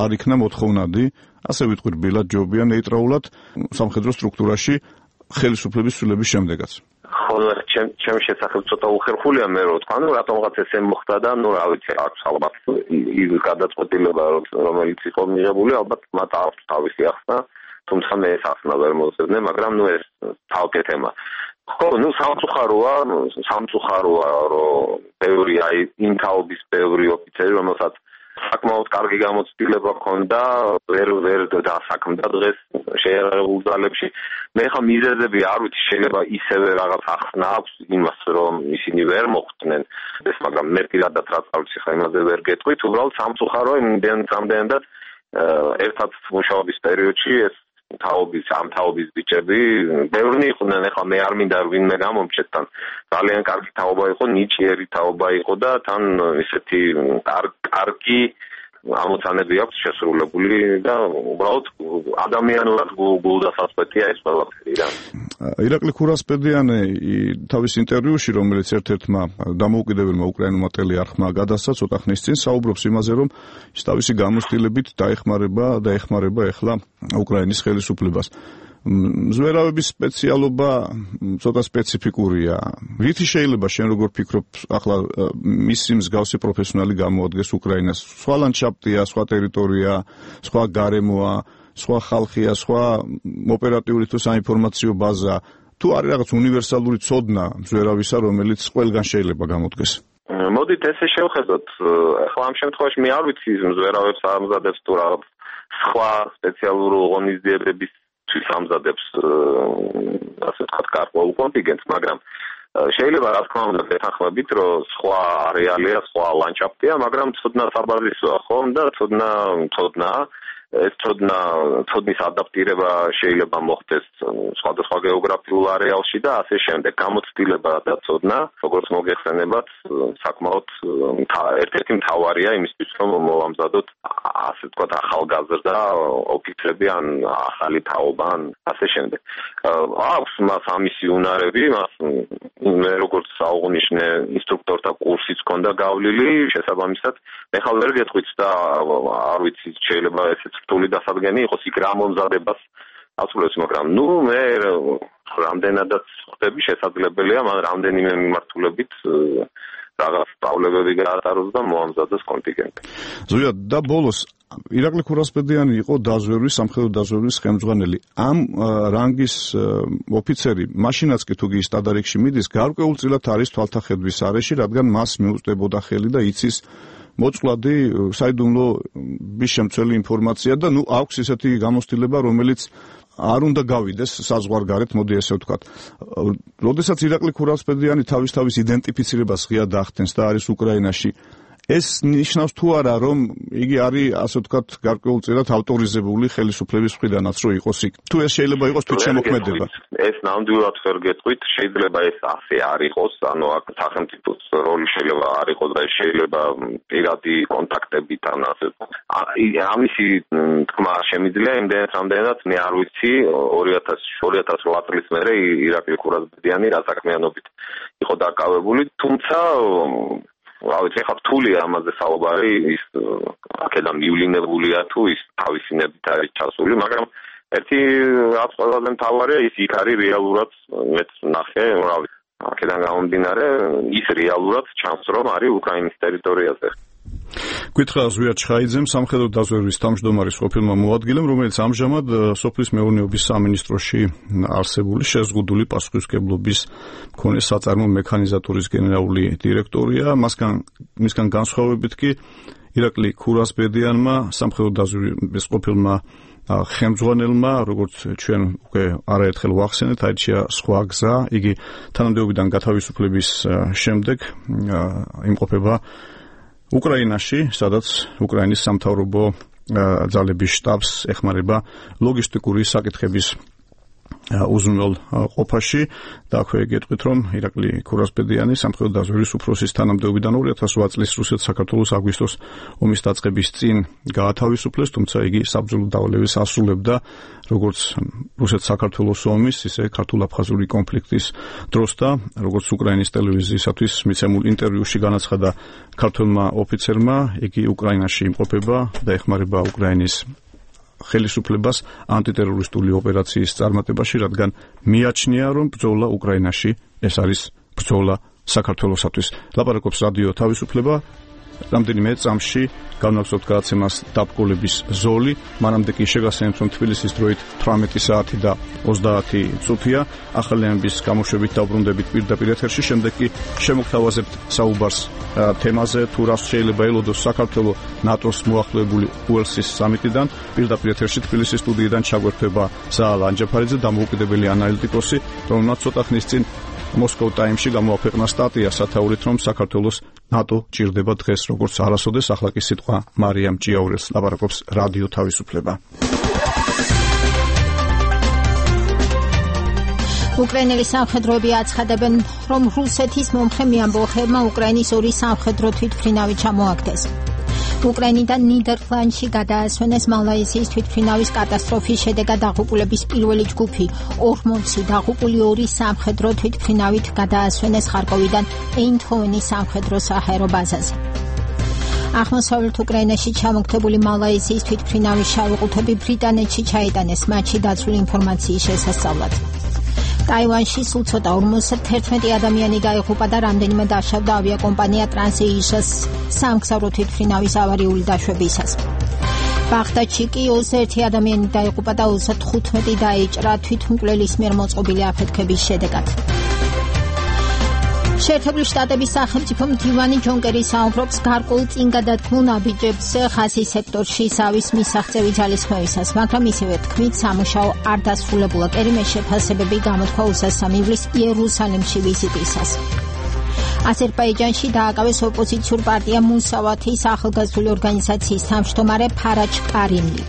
არ იქნა მოთხოვნადი, ასე ვიტყვი რბილად ჯობია ნეიტრალურად სამხედრო სტრუქტურაში ხელისუფლების ცვლილების შემდეგაც.
ჩემი შესახებ ცოტა უხერხულია მე რო თქვა, ნუ რატომღაც ესე მოხდა და ნუ რა ვიცი, აქვს ალბათ ის გადაწყვეტილება, რომელიც იყო მიღებული, ალბათ მათ აქვს თავისი ახსნა, თუმცა მე ეს ახსნა ვერ მოვწევდე, მაგრამ ნუ ეს თავკე თემა. ხო, ნუ სამწუხაროა, სამწუხაროა, რომ ბევრი აი იმ თაობის ბევრი ოფიცერი, რომელსაც საკმაოდ კარგი გამოცდილება ჰქონდა, ვერ ვერ დასაქმდა დღეს შეიარაღებულ ძალებში. მე ხა მიზეზები არ ვიცი, შეიძლება ისევე რაღაც ახსნა აქვს იმას, რომ ისინი ვერ მოხვდნენ. ეს მაგრამ მე პირადად რა წავიცი ხა იმაზე ვერ გეტყვით, უბრალოდ სამწუხაროა იმდენ სამდენად ერთად მუშაობის პერიოდში ეს თაობის ამ თაობის ბიჭები ბევრი იყვნენ, ეხლა მე არ მინდა ვინმე გამომჩეთ თან ძალიან კარგი თაობა იყო, ნიჭიერი თაობა იყო და თან ისეთი კარგი ამოცანები აქვს შესრულებული და უბრალოდ ადამიანურად გულდასაწყვეტია ეს ყველაფერი რა.
ირაკლი ქურასპედიანი თავის ინტერვიუში, რომელიც ერთ-ერთმა დამოუკიდებელმა უკრაინულმა ტელეარხმა გადასცა ცოტა ხნის წინ, საუბრობს იმაზე, რომ ის თავისი გამოცდილებით დაეხმარება და ეხმარება ახლა უკრაინის ხელისუფლებას. მზვერავების სპეციალობა ცოტა სპეციფიკურია. რითი შეიძლება შენ როგორ ფიქრობ, ახლა მისი მსგავსი პროფესიონალი გამოადგეს უკრაინას? სხვა ლანდშაფტია, სხვა ტერიტორია, სხვა გარემოა, სხვა ხალხია, სხვა ოპერატიული თუ საინფორმაციო ბაზა. თუ არის რაღაც უნივერსალური ცოდნა მზვერავისა, რომელიც ყველგან შეიძლება გამოდგეს?
მოდით ესე შევხედოთ. ახლა ამ შემთხვევაში მე არ ვიცი მზვერავებს ამზადებს თუ რაღაც სხვა სპეციალური ღონისძიებების ამზადებს ასე ვთქვათ გარკვეულ კონტინგენტს, მაგრამ შეიძლება რა თქმა უნდა ვეთანხმებით, რომ სხვა არეალია, სხვა ლანდშაფტია, მაგრამ ცოდნა საბაზისოა, ხო? და ცოდნა ცოდნა ეს ცოდნა ცოდნის ადაპტირება შეიძლება მოხდეს სხვადასხვა გეოგრაფიულ არეალში და ასე შემდეგ. გამოცდილება და ცოდნა, როგორც მოგეხსენებათ, საკმაოდ ერთ-ერთი მთავარია იმისთვის, რომ მოვამზადოთ ასე ვთქვათ ახალგაზრდა ოფიცრები ან ახალი თაობა ან ასე შემდეგ. აქვს მას ამისი უნარები, მას მე როგორც საუღნიშნე ინსტრუქტორთა კურსიც ჰქონდა გავლილი, შესაბამისად ეხლა ვერ გეტყვით და არ ვიცი შეიძლება ესეც რთული დასადგენი იყოს იქ რა მომზადებას აცულებს, მაგრამ ნუ მე რამდენადაც ხდები შესაძლებელია მან რამდენიმე მიმართულებით რაღაც სწავლებები გაატაროს და მოამზადოს კონტინგენტი.
ზოია და ბოლოს ირაკლი ქურასპედიანი იყო დაზვერვის, სამხედრო დაზვერვის ხელმძღვანელი. ამ რანგის ოფიცერი მაშინაც კი თუ კი სტადარიქში მიდის, გარკვეულწილად არის თვალთახედვის არეში, რადგან მას მიუწვდებოდა ხელი და იცის მოწყვლადი საიდუმლო ბიშემცველი ინფორმაცია და ნუ აქვს ისეთი გამოცდილება, რომელიც არ უნდა გავიდეს საზღვარგარეთ, მოდი ესე ვთქვათ. როდესაც ირაკლი ქურასპედიანი თავის თავის იდენტიფიცირებას ღიად ახდენს და არის უკრაინაში, ეს ნიშნავს თუ არა, რომ იგი არის ასე ვთქვათ გარკვეულწილად ავტორიზებული ხელისუფლების მხრიდანაც რომ იყოს იქ. თუ ეს შეიძლება იყოს თვითშემოქმედება.
ეს ნამდვილად ვერ გეტყვით, შეიძლება ეს ასე არ იყოს, ანუ აქ სახელმწიფოს როლი შეიძლება არ იყოს და შეიძლება პირადი კონტაქტებით ან ასე. ამისი თქმა შემიძლია იმდენად რამდენად მე არ ვიცი ორი ათას რვა წლის მერე ირაკლი ქურასპედიანი რა საქმიანობით იყო დაკავებული, თუმცა რა ვიცი, ხა რთულია ამაზე საუბარი, ის აქედან მივლინებულია თუ ის თავისი ნებით არის ჩასული, მაგრამ ერთი რაც ყველაზე მთავარია, ის იქ არის რეალურად, მეც ნახე, რა ვიცი, აქედან გამომდინარე, ის რეალურად ჩანს, რომ არის უკრაინის ტერიტორიაზე.
გითხრა ზვია ჩხაიძემ, სამხედრო დაზვერვის თავმჯდომარის ყოფილმა მოადგილემ, რომელიც ამჟამად სოფლის მეურნეობის სამინისტროში არსებული შეზღუდული პასუხისმგებლობის მქონე საწარმო მექანიზატურის გენერალური დირექტორია. მასგან მისგან განსხვავებით კი ირაკლი ქურასპედიანმა, სამხედრო დაზვერვის ყოფილმა ხელმძღვანელმა, როგორც ჩვენ უკვე არაერთხელ ვახსენეთ, აირჩია სხვა გზა. იგი თანამდებობიდან გათავისუფლების შემდეგ იმყოფება უკრაინაში, სადაც უკრაინის სამთავრობო ძალების შტაბს ეხმარება ლოგისტიკური საკითხების უზრუნველ ყოფაში და აქვე გეტყვით, რომ ირაკლი ქურასპედიანი სამხედრო დაზვერვის უფროსის თანამდებობიდან ორი ათას რვა წლის რუსეთ-საქართველოს აგვისტოს ომის დაწყების წინ გაათავისუფლეს, თუმცა იგი საბრძოლო დავალებას ასრულებდა როგორც რუსეთ-საქართველოს ომის, ისე ქართულ-აფხაზური კონფლიქტის დროს და როგორც უკრაინის ტელევიზიისათვის მიცემულ ინტერვიუში განაცხადა ქართველმა ოფიცერმა, იგი უკრაინაში იმყოფება და ეხმარება უკრაინის ხელისუფლებას ანტიტერორისტული ოპერაციის წარმატებაში, რადგან მიაჩნია, რომ ბრძოლა უკრაინაში ეს არის ბრძოლა საქართველოსათვის. ლაპარაკობს რადიო თავისუფლება. რამდენიმე წამში განვახსოვთ გადაცემას დაბკოლების ზოლი, მანამდე კი შეგახსენებთ, რომ თბილისის დროით თვრამეტი საათი და ოცდაათი წუთია. ახალი ამბის გამოშვებით დავბრუნდებით პირდაპირ ეთერში, შემდეგ კი შემოგთავაზებთ საუბარს თემაზე, თუ რას შეიძლება ელოდოს საქართველოს ნატოს მოახლოებული უელსის სამიტიდან. პირდაპირ ეთერში თბილისის სტუდიიდან ჩაგვერთვება ზაალ ანჯაფარიძე, დამოუკიდებელი ანალიტიკოსი, რომელმაც ცოტა ხნის წინ მოსკოვ ტაიმში გამოაქვეყნა სტატია სათაურით, რომ საქართველოს ნატო ჭირდება დღეს როგორც არასოდეს. ახლა კი სიტყვა მარიამ ჭიაურელს, ლაპარაკობს რადიო თავისუფლება.
უკრაინელი სამხედროები აცხადებენ, რომ რუსეთის მომხრე მეამბოხებმა უკრაინის ორი სამხედრო თვითმფრინავი ჩამოაგდეს. უკრაინიდან ნიდერლანდში გადაასვენეს მალაიზიის თვითმფრინავის კატასტროფის შედეგად დაღუპულების პირველი ჯგუფი. ორმოცი დაღუპული ორი სამხედრო თვითმფრინავით გადაასვენეს ხარკოვიდან ეინდჰოვენის სამხედრო საჰაერო ბაზაზე. აღმოსავლეთ უკრაინაში ჩამოგდებული მალაიზიის თვითმფრინავის შავი ყუთები ბრიტანეთში ჩაიტანეს მათში დაცული ინფორმაციის შესასწავლად. ტაივანში სულ ცოტა ორმოცდაერთმეტი ადამიანი დაიღუპა და რამდენიმე დაშავდა ავიაკომპანია ტრანსეიშას სამგზავრო თვითმფრინავის ავარიული დაშვებისას. ბაღდადში კი ოცდაერთი ადამიანი დაიღუპა და ოცდათხუთმეტი დაიჭრა თვითმკვლელის მიერ მოწყობილი აფეთქების შედეგად. შეერთებული შტატების სახელმწიფო მდივანი ჯონ კერი საუბრობს გარკვეულ წინგადადგმულ ნაბიჯებზე ხაზის სექტორში ზავის მისაღწევი ძალისხმევისას, მაგრამ ისევე თქმით, სამუშაო არ დასრულებულა. კერიმ შეფასებები გამოთქვა უსასამ ივლისს იერუსალიმში ვიზიტისას. აზერბაიჯანში დააკავეს ოპოზიციურ პარტია მუსავათის ახალგაზრდული ორგანიზაციის თავმჯდომარე ფარაჯ კარიმლი.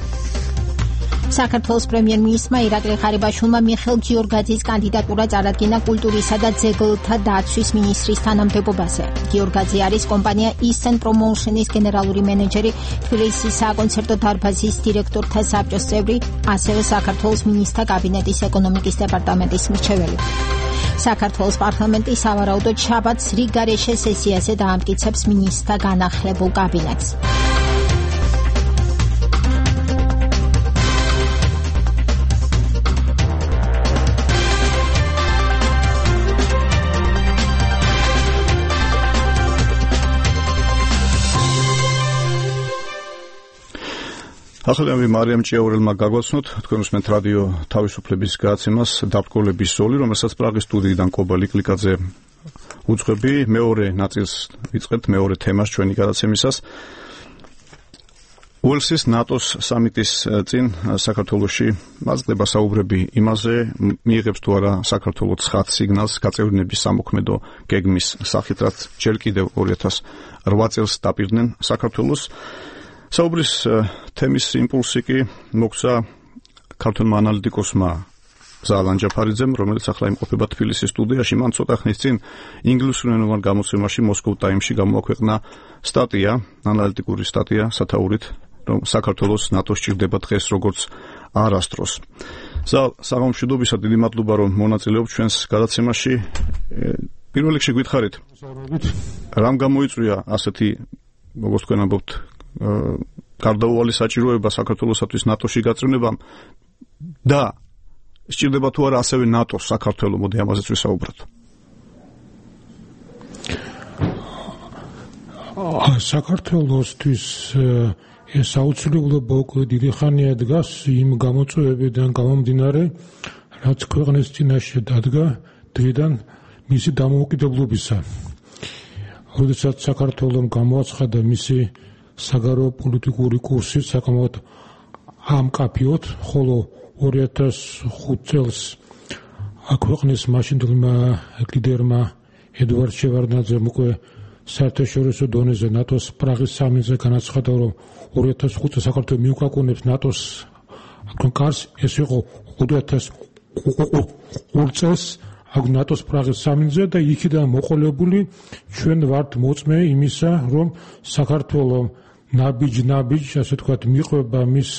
საქართველოს პრემიერ-მინისტრმა ირაკლი ღარიბაშვილმა მიხეილ გიორგაძის კანდიდატურა წარადგინა კულტურისა და ძეგლთა დაცვის მინისტრის თანამდებობაზე. გიორგაძე არის კომპანია Eastern Promotion-ის გენერალური მენეჯერი, თბილისის საკონცერტო დარბაზის დირექტორთა საბჭოს წევრი, ასევე საქართველოს მინისტრთა კაბინეტის ეკონომიკის დეპარტამენტის მრჩეველი. საქართველოს პარლამენტი სავარაუდოდ შაბათს რიგგარეშე სესიაზე დაამტკიცებს მინისტრთა განახლებულ კაბინეტს.
ახალგაზრდა მარიამ ჭიაურელმა გაგვაცნოთ თქვენ უსმენთ რადიო თავისუფლების გადაცემას დაბრკოლების ზოლი, რომელსაც პრაღის სტუდიიდან კობა ლიკლიკაძე უძღვები. მეორე ნაწილს ვიწყებთ, მეორე თემას ჩვენი გადაცემისას. უელსის ნატოს სამიტის წინ საქართველოში მაწყდება საუბრები იმაზე, მიიღებს თუ არა საქართველო ცხად სიგნალს გაწევრიანების სამოქმედო გეგმის სახით, რაც ჯერ კიდევ ორი ათას რვა წელს დაპირდნენ საქართველოს. საუბრის თემის იმპულსი კი მოგცა ქართველმა ანალიტიკოსმა ზალან ჯაფარიძემ, რომელიც ახლა იმყოფება თბილისის სტუდიაში. მან ცოტა ხნის წინ ინგლისურენოვან გამოცემაში Moscow Times-ში გამოაქვეყნა სტატია, ანალიტიკური სტატია სათაურით, რომ საქართველოს ნატოს ჭირდება დღეს როგორც არასდროს. ზალ, საღამომშვიდობისა, დიდი მადლობა რომ მონაწილეობ ჩვენს გადაცემაში. პირველ რიგში გითხარით, რამ გამოიწვია ასეთი, როგორც თქვენ ამბობთ, გარდაუვალი საჭიროება საქართველოსთვის ნატოში გაწევრებამ და სჭირდება თუ არა ასევე ნატოს საქართველო, მოდი ამაზეც ვისაუბროთ.
საქართველოსთვის ეს აუცილებლობა უკვე დიდი ხანია დგას იმ გამოწვევებიდან გამომდინარე, რაც ქვეყნის წინაშე დადგა დღიდან მისი დამოუკიდებლობისა. როდესაც საქართველომ გამოაცხადა მისი საგარეო პოლიტიკური კურსი საკმაოდ ამკაფიოდ, ხოლო ორი ათას ხუთ წელს ქვეყნის მაშინდელმა ლიდერმა ედვარდ შევარდნაძემ უკვე საერთაშორისო დონეზე ნატოს პრაღის სამიტზე განაცხადა, რომ ორი ათას ხუთ წელს საქართველო მიუკაკუნებს ნატოს კარს. ეს იყო ორი ათას ორ წელს ნატოს პრაღის სამიტზე და იქიდან მოყოლებული ჩვენ ვართ მოწმე იმისა, რომ საქართველო ნაბიჯ-ნაბიჯ, ასე ვთქვათ, მიყვება მის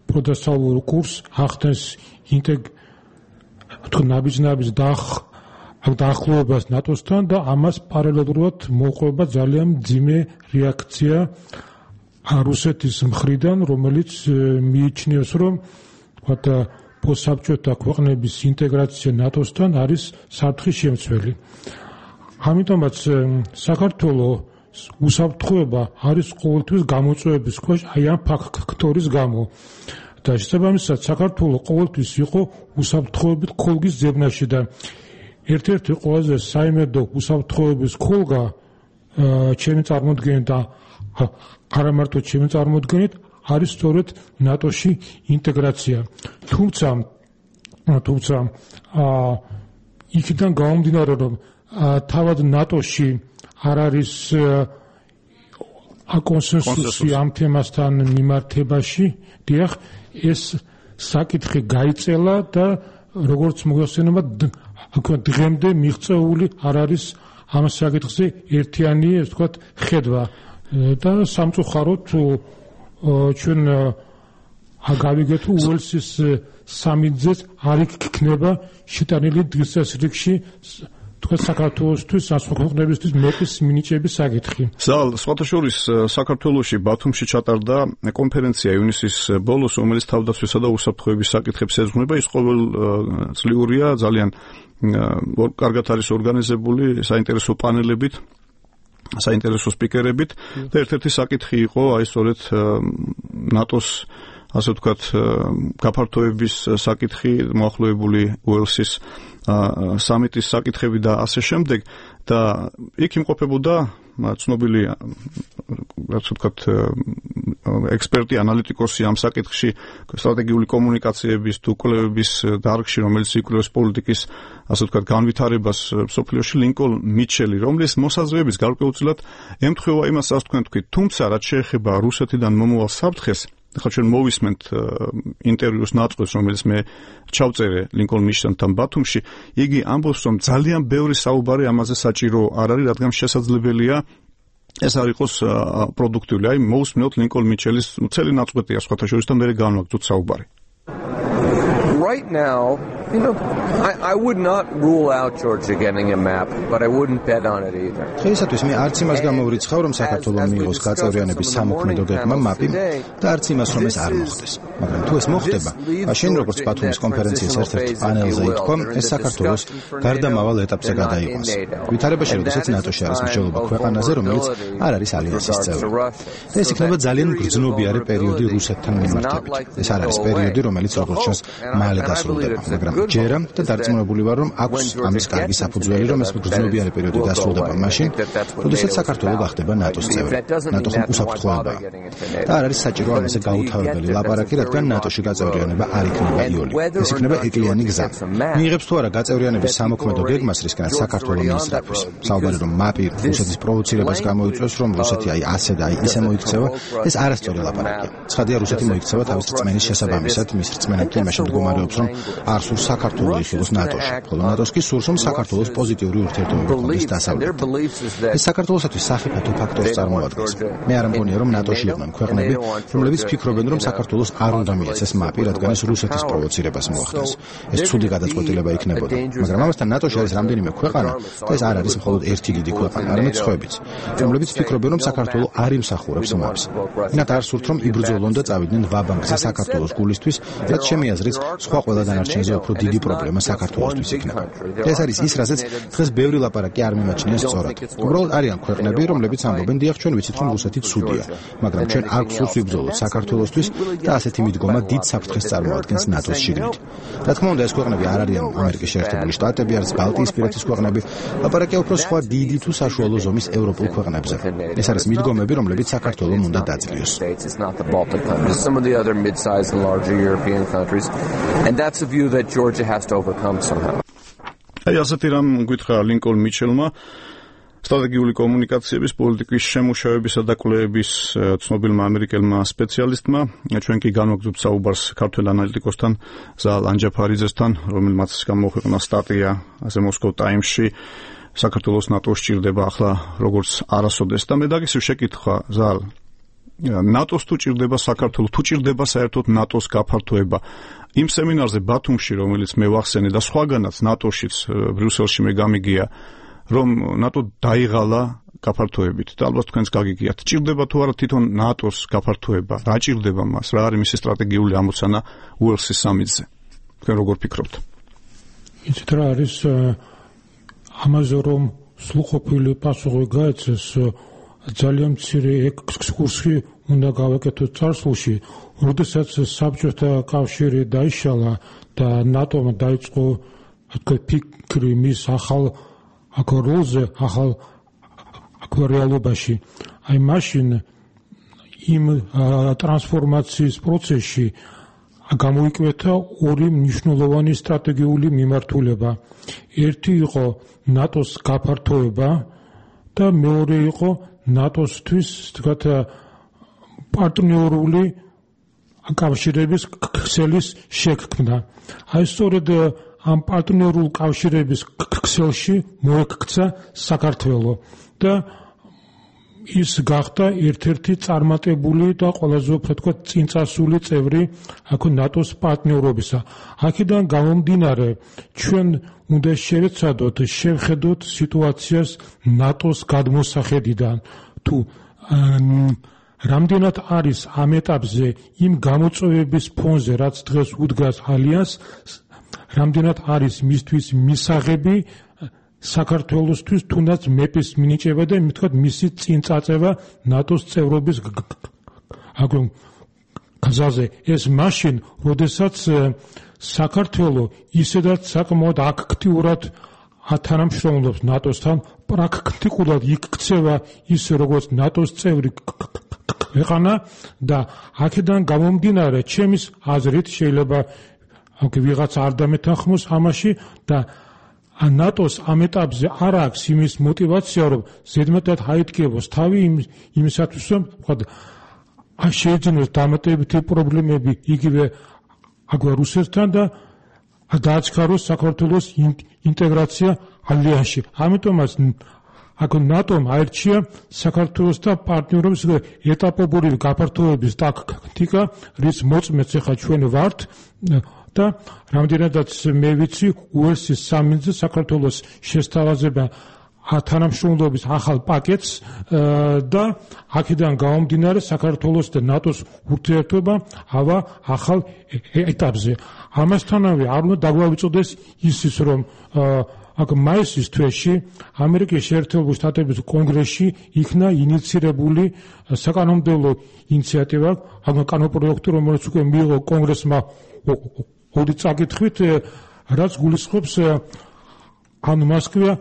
პროდასალურ კურსს, ახდენს ინტეგ ნაბიჯ-ნაბიჯ დაახლოებას ნატოსთან და ამას პარალელურად მოყვება ძალიან მძიმე რეაქცია რუსეთის მხრიდან, რომელიც მიიჩნევს, რომ ვთქვათ, პოსტსაბჭოთა ქვეყნების ინტეგრაცია ნატოსთან არის საფრთხის შემცველი. ამიტომაც საქართველო უსაფრთხოება არის ყოველთვის გამოწვევების ქვეშ აი ამ ფაქტორის გამო და შესაბამისად საქართველო ყოველთვის იყო უსაფრთხოებით ქოლგის ძებნაში და ერთ-ერთი ყველაზე საიმედო უსაფრთხოების ქოლგა ჩემი წარმოდგენით და არა მარტო ჩემი წარმოდგენით არის სწორედ ნატოში ინტეგრაცია. თუმცა თუმცა იქიდან გამომდინარე, რომ თავად ნატოში არ არის კონსენსუსი ამ თემასთან მიმართებაში, დიახ, ეს საკითხი გაიწელა და როგორც მოიხსენება აქ დღემდე მიღწეული არ არის ამ საკითხზე ერთიანი, ასე ვთქვათ, ხედვა და სამწუხაროდ ჩვენ აგავიგეთ უელსის სამიძეც არ იქნება შეტანილი დღის წესრიგში თქვენ საქართველოსთვის, სხვა ქვეყნებისთვის მეტის მინიჭების საკითხი.
ზალ, სხვათა შორის საქართველოში ბათუმში ჩატარდა კონფერენცია ივნისის ბოლოს, რომელიც თავდაცვისა და უსაფრთხოების საკითხებს ეძღვნება. ის ყოველწლიურია, ძალიან კარგად არის ორგანიზებული, საინტერესო პანელებით, საინტერესო სპიკერებით და ერთ-ერთი საკითხი იყო აი სწორედ ნატოს ასე ვთქვათ გაფართოების საკითხი, მოახლოებული უელსის სამიტის საკითხები და ასე შემდეგ და იქ იმყოფებოდა ცნობილი რაც ვთქვათ ექსპერტი, ანალიტიკოსი ამ საკითხში, სტრატეგიული კომუნიკაციების თუ კვლევების დარგში, რომელიც იკვლევს პოლიტიკის ასე ვთქვათ განვითარებას მსოფლიოში, ლინკოლ მიჩელი, რომლის მოსაზრებების გარკვეულწილად ემთხვევა იმას, რაც თქვენ თქვით, თუმცა რაც შეეხება რუსეთიდან მომავალ საფრთხეს, ახლა ჩვენ მოვისმენთ ინტერვიუს ნაწყვეტს, რომელიც მე ჩავწერე ლინკოლ მიშელთან ბათუმში, იგი ამბობს, რომ ძალიან ბევრი საუბარი ამაზე საჭირო არ არის, რადგან შესაძლებელია ეს არ იყოს პროდუქტიული. აი მოვისმენთ ლინკოლ მიჩელის მთელი ნაწყვეტია სხვათა შორის და მე განვაგრძოთ საუბარი.
Right now, you know, I, I would not rule out Georgia getting a map, but I wouldn't bet on it either.
დღეისათვის მე არც იმას გამოვრიცხავ, რომ საქართველოს მიიღოს გაწევრიანების სამოქმედო გეგმა მაპი და არც იმას, რომ ეს არ მოხდეს. მაგრამ თუ ეს მოხდება, მაშინ როგორც ბათუმის კონფერენციის ერთ-ერთ პანელზე ითქვა, ეს საქართველოს გარდამავალ ეტაპზე გადაიყვანს. ვითარებაში, როდესაც ნატოში არის მსჯელობა ქვეყანაზე, რომელიც არ არის ალიანსის წევრი. და ეს იქნება ძალიან გრძნობიარე პერიოდი რუსეთთან მიმართებით. ეს არ არის პერიოდი, რომელიც როგორც ჩანს მალე დასრულდება, მაგრამ ჯერა და დარწმუნებული ვარ, რომ აქვს ამის კარგი საფუძველი, რომ ეს გრძნობიარე პერიოდი დასრულდება მაშინ, როდესაც საქართველო გახდება ნატოს წევრი. ნატო ხომ უსაფრთხოებაა. და არ არის საჭირო ამაზე გაუთავებელი ლაპარაკი, რადგან ნატოში გაწევრიანება არ იქნება იოლი. ეს იქნება ეკლიანი გზა. მიიღებს თუ არა გაწევრიანების სამოქმედო გეგმას, რისკენაც საქართველო მიისწრაფვის. საუბარი რომ მაპი რუსეთის პროვოცირებას გამოიწვევს, რომ რუსეთი აი ასე და აი ისე მოიქცევა, ეს არასწორი ლაპარაკია. ცხადია, რუსეთი მოიქცევა თავის რწმენის შესაბამისად, მის რწმენებთან იმაში მდგომარეობს, რომ არ სურს საქართველოს იხილოს ნატოში, ხოლო ნატოს კი სურს, რომ საქართველოს პოზიტიური ურთიერთობები გქონდეს დასავლეთთან. ეს საქართველოსთვის სახიფათო ფაქტორს წარმოადგენს. მე არ მგონია, რომ ნატოში იყვნენ ქვეყნები, რომლებიც ფიქრობენ, რომ საქართველოს არ უნდა მიეცეს მაპი, რადგან ეს რუსეთის პროვოცირებას მოახდენს. ეს ცუდი გადაწყვეტილება იქნებოდა. მაგრამ ამასთან ნატოში არის რამდენიმე ქვეყანა და ეს არ არის მხოლოდ ერთი დიდი ქვეყანა, არამედ სხვაებიც, რომლებიც ფიქრობენ, რომ საქართველო არ იმსახურებს მაპს. მათ არ სურთ, რომ იბრძოლონ და წავიდნენ ვაბანკზე საქართველოს გულისთვის, რაც ჩემი აზრით სხვა ყველა დანარჩენზე უფრო დიდი პრობლემა საქართველოსთვის იქნება. ეს არის ის, რასაც დღეს ბევრი ლაპარაკი არ მიმაჩნია სწორად. უბრალოდ არიან ქვეყნები, რომლებიც ამბობენ, დიახ, ჩვენ ვიცით, რომ რუსეთი ცუდია, მაგრამ ჩვენ არ გვსურს ვიბრძოლოთ საქართველოსთვის და ასეთი მიდგომა დიდ საფრთხეს წარმოადგენს ნატოს შიგნით. რა თქმა უნდა, ეს ქვეყნები არ არიან ამერიკის შეერთებული შტატები, არც ბალტიისპირეთის ქვეყნები, ლაპარაკია უფრო სხვა დიდი თუ საშუალო ზომის ევროპულ ქვეყნებზე. ეს არის მიდგომები, რომლებიც საქართველოს უნდა დაძლიოს.
And that's a view that Georgia has to overcome somehow.
აი ასეთი რამ გითხრა ლინკოლ მიჩელმა, სტრატეგიული კომუნიკაციების პოლიტიკის შემუშავებისა და კვლევების ცნობილმა ამერიკელმა სპეციალისტმა. ჩვენ კი განვაგრძობთ საუბარს ქართველ ანალიტიკოსთან ზალ ანჯაფარიძესთან, რომელმაც გამოაქვეყნა სტატია ასე მოსკოვ ტაიმსში, საქართველოს ნატოს ჭირდება ახლა როგორც არასოდეს და მე დაგისვი შეკითხვა ზალ, ნატოს თუ ჭირდება საქართველოს, თუ ჭირდება საერთოდ ნატოს გაფართოება. იმ სემინარზე ბათუმში, რომელიც მე ვახსენე და სხვაგანაც ნატოშიც ბრიუსელში მე გამიგია, რომ ნატო დაიღალა გაფართოებით და ალბათ თქვენს გაგიგიათ. ჭირდება თუ არა თვითონ ნატოს გაფართოება? რა ჭირდება მას? რა არის მისი სტრატეგიული ამოცანა უელსის სამიტზე? თქვენ როგორ ფიქრობთ?
იცით რა არის ამაზე რომ სრულყოფილი პასუხი გაეცეს, ძალიან მცირე ექსკურსი უნდა გავაკეთოთ წარსულში, როდესაც საბჭოთა კავშირი დაიშალა და ნატომ დაიწყო ფიქრი მის ახალ როლზე, ახალ რეალობაში. აი მაშინ იმ ტრანსფორმაციის პროცესში გამოიკვეთა ორი მნიშვნელოვანი სტრატეგიული მიმართულება. ერთი იყო ნატოს გაფართოება და მეორე იყო ნატოსთვის თქვათ პარტნიორული კავშირების ქსელის შექმნა. აი სწორედ ამ პარტნიორულ კავშირების ქსელში მოექცა საქართველო და ის გახდა ერთ-ერთი წარმატებული და ყველაზე უფრო თქვა წინწასული წევრი აქ ნატოს პარტნიორობისა. აქედან გამომდინარე ჩვენ უნდა შევეცადოთ შევხედოთ სიტუაციას ნატოს გადმოსახედიდან თუ რამდენად არის ამ ეტაპზე იმ გამოწვევების ფონზე რაც დღეს უდგას ალიანსს რამდენად არის მისთვის მისაღები საქართველოსთვის თუნდაც მეპის მინიჭება და მithქვათ მისი წინწაწევა ნატოს წევრობის გზაზე ეს მაშინ როდესაც საქართველო ისედაც საკმაოდ აქტიურად ათანამშრომლობს ნატოსთან პრაქტიკულად იქცევა ის როგორც ნატოს წევრი ქვეყანა და აქედან გამომდინარე ჩემის აზრით შეიძლება აქ ვიღაც არ დამეთანხმოს ამაში და ნატოს ამ ეტაპზე არ აქვს იმის мотиваცია რომ ზედმეტად აიდგებოს თავი იმისათვის რომ ვთქვათ შეეძინოს დამატებითი პრობლემები იგივე აგვე რუსეთთან და დააჩქაროს საქართველოს ინტეგრაცია ალიანსში. ამიტომაც აქ ნატომ აირჩია საქართველოს და პარტნიორობის ეტაპობრივი გაფართოების ტაქტიკა, რის მოწმეც ახლა ჩვენ ვართ და რამდენადაც მე ვიცი უელსის სამინისტროზე საქართველოს შესთავაზება თანამშრომლობის ახალ პაკეტს და აქედან გამომდინარე საქართველოს და ნატოს ურთიერთობა ავა ახალ ეტაპზე. ამასთანავე არ უნდა დაგვავიწყდეს ისიც რომ აქ მაისის თვეში ამერიკის შეერთებული შტატების კონგრესში იქნა ინიცირებული საკანონმდებლო ინიციატივა, აქ კანონპროექტი, რომელიც უკვე მიიღო კონგრესმა ორი წაკითხვით, რაც გულისხმობს ან მოსკოვა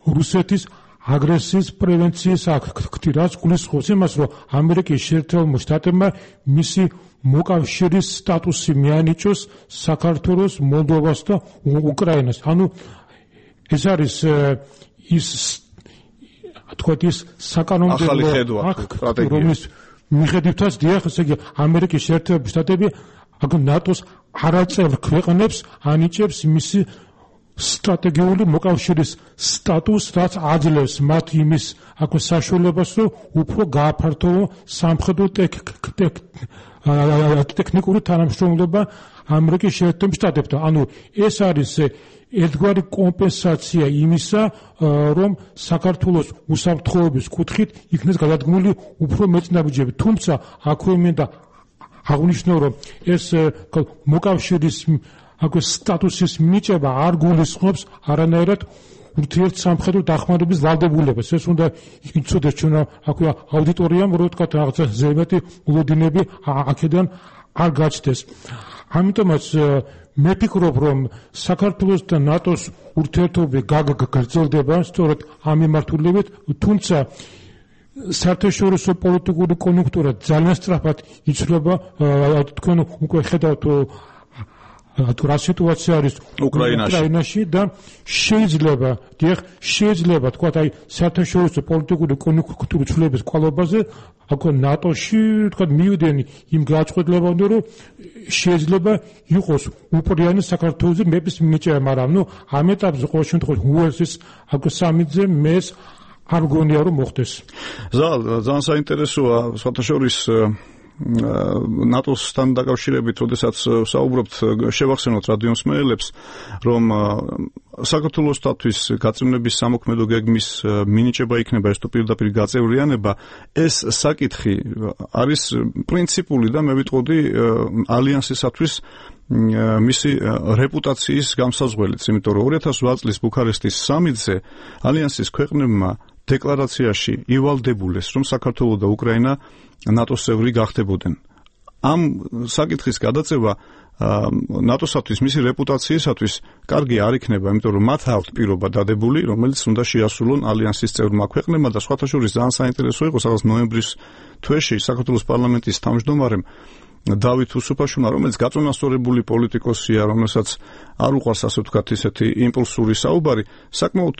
რუსეთის აგრესიის პრევენციის აქტი, რაც გულისხმობს იმას, რომ ამერიკის შეერთებულ შტატებმა მისი მოკავშირის სტატუსი მიანიჭოს საქართველოს, მოლდოვას და უკრაინას. ანუ ეს არის ის თქვათ ის საკანონმდებლო აქტი, რომლის მიხედვითაც დიახ, ესე იგი ამერიკის შეერთებული შტატები აქ ნატოს არაწევრ ქვეყნებს ანიჭებს მისი სტრატეგიული მოკავშირის სტატუსს, რაც აძლევს მათ იმის აქ საშუალებას, რომ უფრო გააფართოვო სამხედრო ტექნიკური თანამშრომლობა ამერიკის შეერთებულ შტატებთან. ანუ ეს არის ერთგვარი კომპენსაცია იმისა, რომ საქართველოს უსაფრთხოების კუთხით იქნეს გადადგმული უფრო მეწინააღმდეგეები. თუმცა აქვე მინდა აღნიშნო, რომ ეს მოკავშირის აქ სტატუსის მიჭება არ გულისხმობს არანაირად ურთიერთ სამხედრო დახმარების ვალდებულებას. ეს უნდა იცოდეს ჩვენ აქვე აუდიტორიამ, რომ თქვა რაღაცა ზემეთი მოლოდინები აქედან არ გაჩნდეს. ამიტომაც მე ვფიქრობ, რომ საქართველოს და ნატოს ურთიერთობები გაგრძელდება სწორედ ამ მიმართულებით, თუმცა საერთაშორისო პოლიტიკური კონიუნქტურა ძალიან სწრაფად იცვლება. თქვენ უკვე ხედავთ თუ რა სიტუაცია არის უკრაინაში და შეიძლება, დიახ, შეიძლება თქვა აი საერთაშორისო პოლიტიკური კონიუნქტურის ცვლილების კვალობაზე აქ ნატოში თქვა მივიდნენ იმ გააჩღებლებამდე, რომ შეიძლება იყოს უპრიანი საქართველოს მეპის მინიჭება, მაგრამ ნუ ამ ეტაპზე ყოველ შემთხვევაში უელსის აქ სამიტზე მეს არ გონია რომ მოხდეს.
ზალ, ძალიან საინტერესოა საერთაშორისო ნატოსთან დაკავშირებით, როდესაც საუბრობთ, შევახსენოთ რადიომსმენელებს, რომ საქართველოსთვის გაწევნების სამოქმედო გეგმის მინიჭება იქნება ეს თუ პირდაპირ გაწევრიანება, ეს საკითხი არის პრინციპული და მე ვიტყოდი ალიანსისათვის მისი რეპუტაციის გამსაზღვრელიც, იმიტომ რომ ორი ათას ოთხ წლის ბუქარესტის სამიტზე ალიანსის ქვეყნებმა დეკლარაციაში ივალდებულეს, რომ საქართველო და უკრაინა ნატოს წევრი გახდებოდნენ. ამ საკითხის გადაწევა ნატოსათვის, მისი რეპუტაციისათვის კარგი არ იქნება, იმიტომ რომ მათ აქვთ პირობა დადებული, რომელიც უნდა შეასრულონ ალიანსის წევრმა ქვეყნებმა და სხვათა შორის ძალიან საინტერესო იყო, სადაც ნოემბრის თვეში საქართველოს პარლამენტის თავმჯდომარემ დავით უსუფაშვილმა, რომელიც გაწონასწორებული პოლიტიკოსია, რომელსაც არ უყვარს ასე ვთქვათ ისეთი იმპულსური საუბარი, საკმაოდ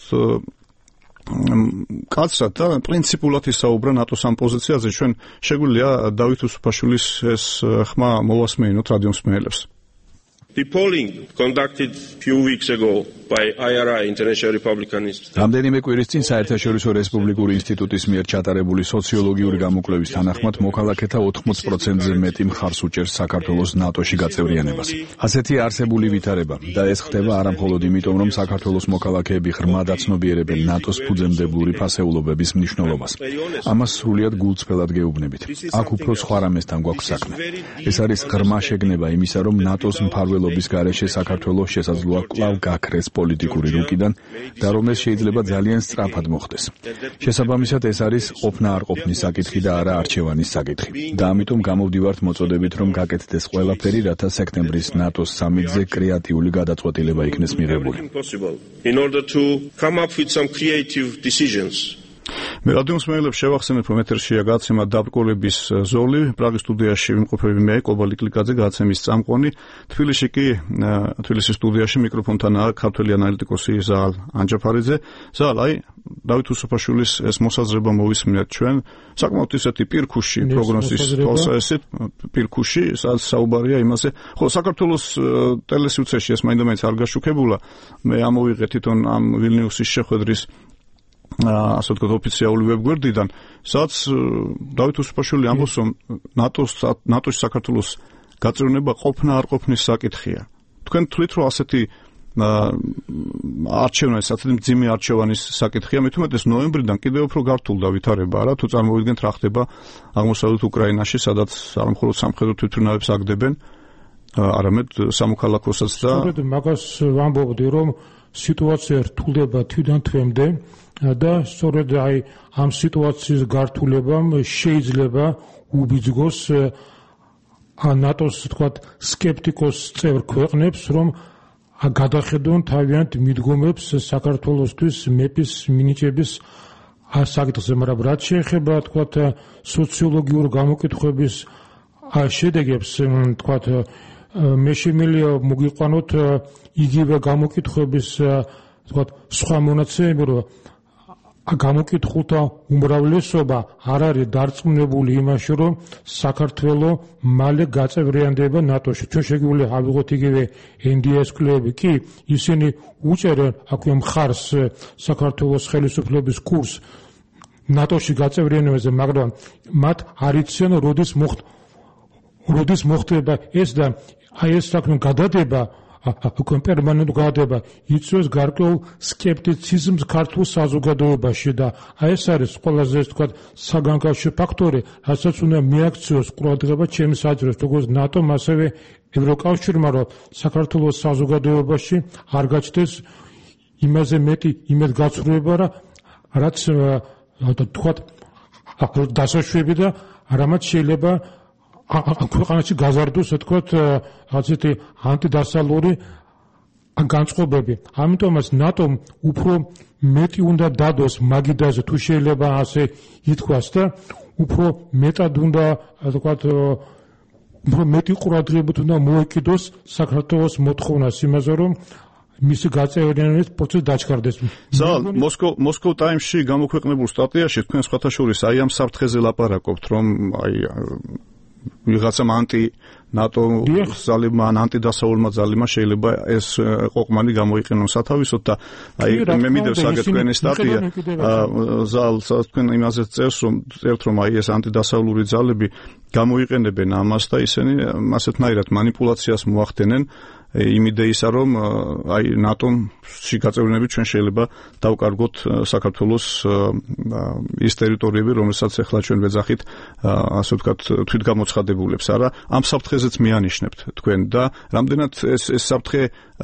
კაცრად და პრინციპულად ისაუბრა ნატოს ამ პოზიციაზე. ჩვენ შეგვიძლია დავით უსუფაშვილის ეს ხმა მოვასმეინოთ რადიომსმენელებს.
The polling conducted few weeks ago by I R I International Republican Institute.
რამდენიმე კვირის წინ საერთაშორისო რესპუბლიკური ინსტიტუტის მიერ ჩატარებული სოციოლოგიური გამოკვლევის თანახმად მოქალაქეთა ოთხმოც პროცენტზე მეტი მხარს უჭერს საქართველოს ნატოში გაწევრიანებას. ასეთი არსებული ვითარება და ეს ხდება არა მხოლოდ იმიტომ, რომ საქართველოს მოქალაქეები ღრმად აცნობიერებენ ნატოს ფუძემდებლური ფასეულობების მნიშვნელობას. ამას სრულიად გულწრფელად გეუბნებით. აქ უფრო სხვა რამესთან გვაქვს საქმე. ეს არის ღრმა შეგნება იმისა, რომ ნატოს მფარველობის გარეშე საქართველოს შესაძლოა კვლავ გაქრეს პოლიტიკური რუკიდან და რომ ეს შეიძლება ძალიან სწრაფად მოხდეს. შესაბამისად ეს არის ყოფნა არ ყოფნის საკითხი და არა არჩევანის საკითხი. და ამიტომ გამოვდივართ მოწოდებით, რომ გაკეთდეს ყველაფერი, რათა სექტემბრის ნატოს სამიტზე კრეატიული გადაწყვეტილება იქნეს მიღებული.
In order to come up with some creative decisions.
მე რადიოს მეელებს შევახსენებ, რომ ეთერშია გადაცემა დაბრკოლების ზოლი. პრაღის სტუდიაში ვიმყოფები მე, კობალი კლიკაძე, გადაცემის წამყვანი. თბილისში კი, თბილისის სტუდიაში მიკროფონთანაა ქართველი ანალიტიკოსი ზაალ ანჯაფარიძე. ზაალ, აი, დავით უსუფაშვილის ეს მოსაზრება მოვისმინეთ ჩვენ. საკმაოდ ისეთი პირქუში პროგნოზის თვალსაჩინო პირქუში, სადაც საუბარია იმაზე, ხო, საქართველოს ტელესიუცეში ეს მაინდა-მაინც არ გაშუქებულა. მე ამოვიღე თვითონ ამ ვილნიუსის შეხვედრის ასე ვთქვათ ოფიციალური ვებგვერდიდან, სადაც დავით უსუფაშვილი ამბობს, რომ ნატოს ნატოში საქართველოს გაწევრიანება ყოფნა არ ყოფნის საკითხია. თქვენ თვლით, რომ ასეთი არჩევანის, ასეთი მძიმე არჩევანის საკითხია, მით უმეტეს ნოემბრიდან კიდევ უფრო გართულდა ვითარება, არა? თუ წარმოვიდგენთ რა ხდება აღმოსავლეთ უკრაინაში, სადაც არ მხოლოდ სამხედრო თვითმფრინავებს აგდებენ, არამედ სამოქალაქოსაც და
სწორედ მაგას ვამბობდი, რომ სიტუაცია რთულდება თვიდან თვემდე და სწორედ აი ამ სიტუაციის გართულებამ შეიძლება უბიძგოს ნატოს თქვათ სკეპტიკოს წევრ ქვეყნებს, რომ გადახედონ თავიანთ მიდგომებს საქართველოსთვის მეპის მინიჭების საკითხზე, მაგრამ რაც შეეხება თქვათ სოციოლოგიურ გამოკითხვების შედეგებს, თქვათ მე შემიძლია მოგიყვანოთ იგივე გამოკითხვების თქვათ სხვა მონაცემები, რომ გამოკითხულთა უმრავლესობა არ არის დარწმუნებული იმაში, რომ საქართველო მალე გაწევრიანდება ნატოში. ჩვენ შეგვიძლია ავიღოთ იგივე ენ დი ეს კლუბი, კი ისინი უჭერენ აქვე მხარს საქართველოს ხელისუფლების კურსს ნატოში გაწევრიანებაზე, მაგრამ მათ არ იციან როდის მოხდა როდის მოხდება ეს და აი ეს საქმე გადადება უკვე პერმანენტ გადადება იწვევს გარკვეულ სკეპტიციზმს ქართულ საზოგადოებაში და აი ეს არის ყველაზე თქვათ საგანგაშო ფაქტორი, რასაც უნდა მიაქციოს ყურადღება ჩემი საჭიროს როგორც ნატომ, ასევე ევროკავშირმა, რომ საქართველოს საზოგადოებაში არ გაჩნდეს იმაზე მეტი იმედგაცრუება, რაც თქვათ დასაშვები და რამაც შეიძლება ქვეყანაში გაზარდოს, თქვათ, ასეთი ანტიდასალური განწყობები. ამიტომაც ნატომ უფრო მეტი უნდა დადოს მაგიდაზე, თუ შეიძლება ასე ითქვას და უფრო მეტად უნდა, თქვათ, უფრო მეტი ყურადღებით უნდა მოეკიდოს საქართველოს მოთხოვნას იმაზე, რომ მისი გაწევრიანების პროცესი დაჩქარდეს.
ზალ, მოსკო მოსკო ტაიმსში გამოქვეყნებულ სტატიაში თქვენ სხვათა შორის აი ამ საფრთხეზე ლაპარაკობთ, რომ აი ვიღაცამ ანტი ნატო ძალებმა ან ანტიდასავლურმა ძალებმა შეიძლება ეს ყოყმანი გამოიყენონ სათავისოდ და აი მე მიდევ საგეთ თქვენი სტატია ზალ თქვენ იმაზე წერს რომ წერთ რომ აი ეს ანტიდასავლური ძალები გამოიყენებენ ამას და ისინი ასეთნაირად მანიპულაციას მოახდენენ იმ იდეისა რომ აი ნატომში გაწევრიანებით ჩვენ შეიძლება დავკარგოთ საქართველოს ის ტერიტორიები რომელსაც ახლა ჩვენ ვეძახით ასე ვთქვათ თვითგამოცხადებულებს არა ამ საფრთხეზეც მიანიშნებთ თქვენ და რამდენად ეს ეს საფრთხე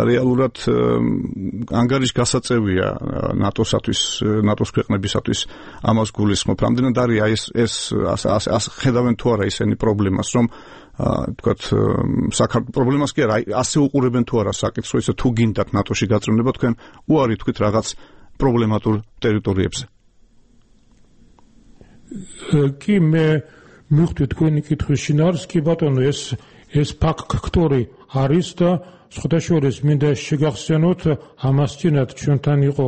რეალურად ანგარიშ გასაწევია ნატოსათვის ნატოს ქვეყნებისათვის ამას გულისხმობ რამდენად არის აი ეს ეს ხედავენ თუ არა ისინი პრობლემას რომ თქვათ საქართველოს პრობლემას კი არა ასე უყურებენ თუ არა საკითხს რომ ისე თუ გინდათ ნატოში გაწევრიანება თქვენ უარი თქვით რაღაც პრობლემატურ ტერიტორიებზე
კი მე მივხვდით თქვენი კითხვის შინაარს, კი ბატონო, ეს ეს ფაქტორი არის და სხვადასხვა მინდა შეგახსენოთ, ამას წინათ ჩვენთან იყო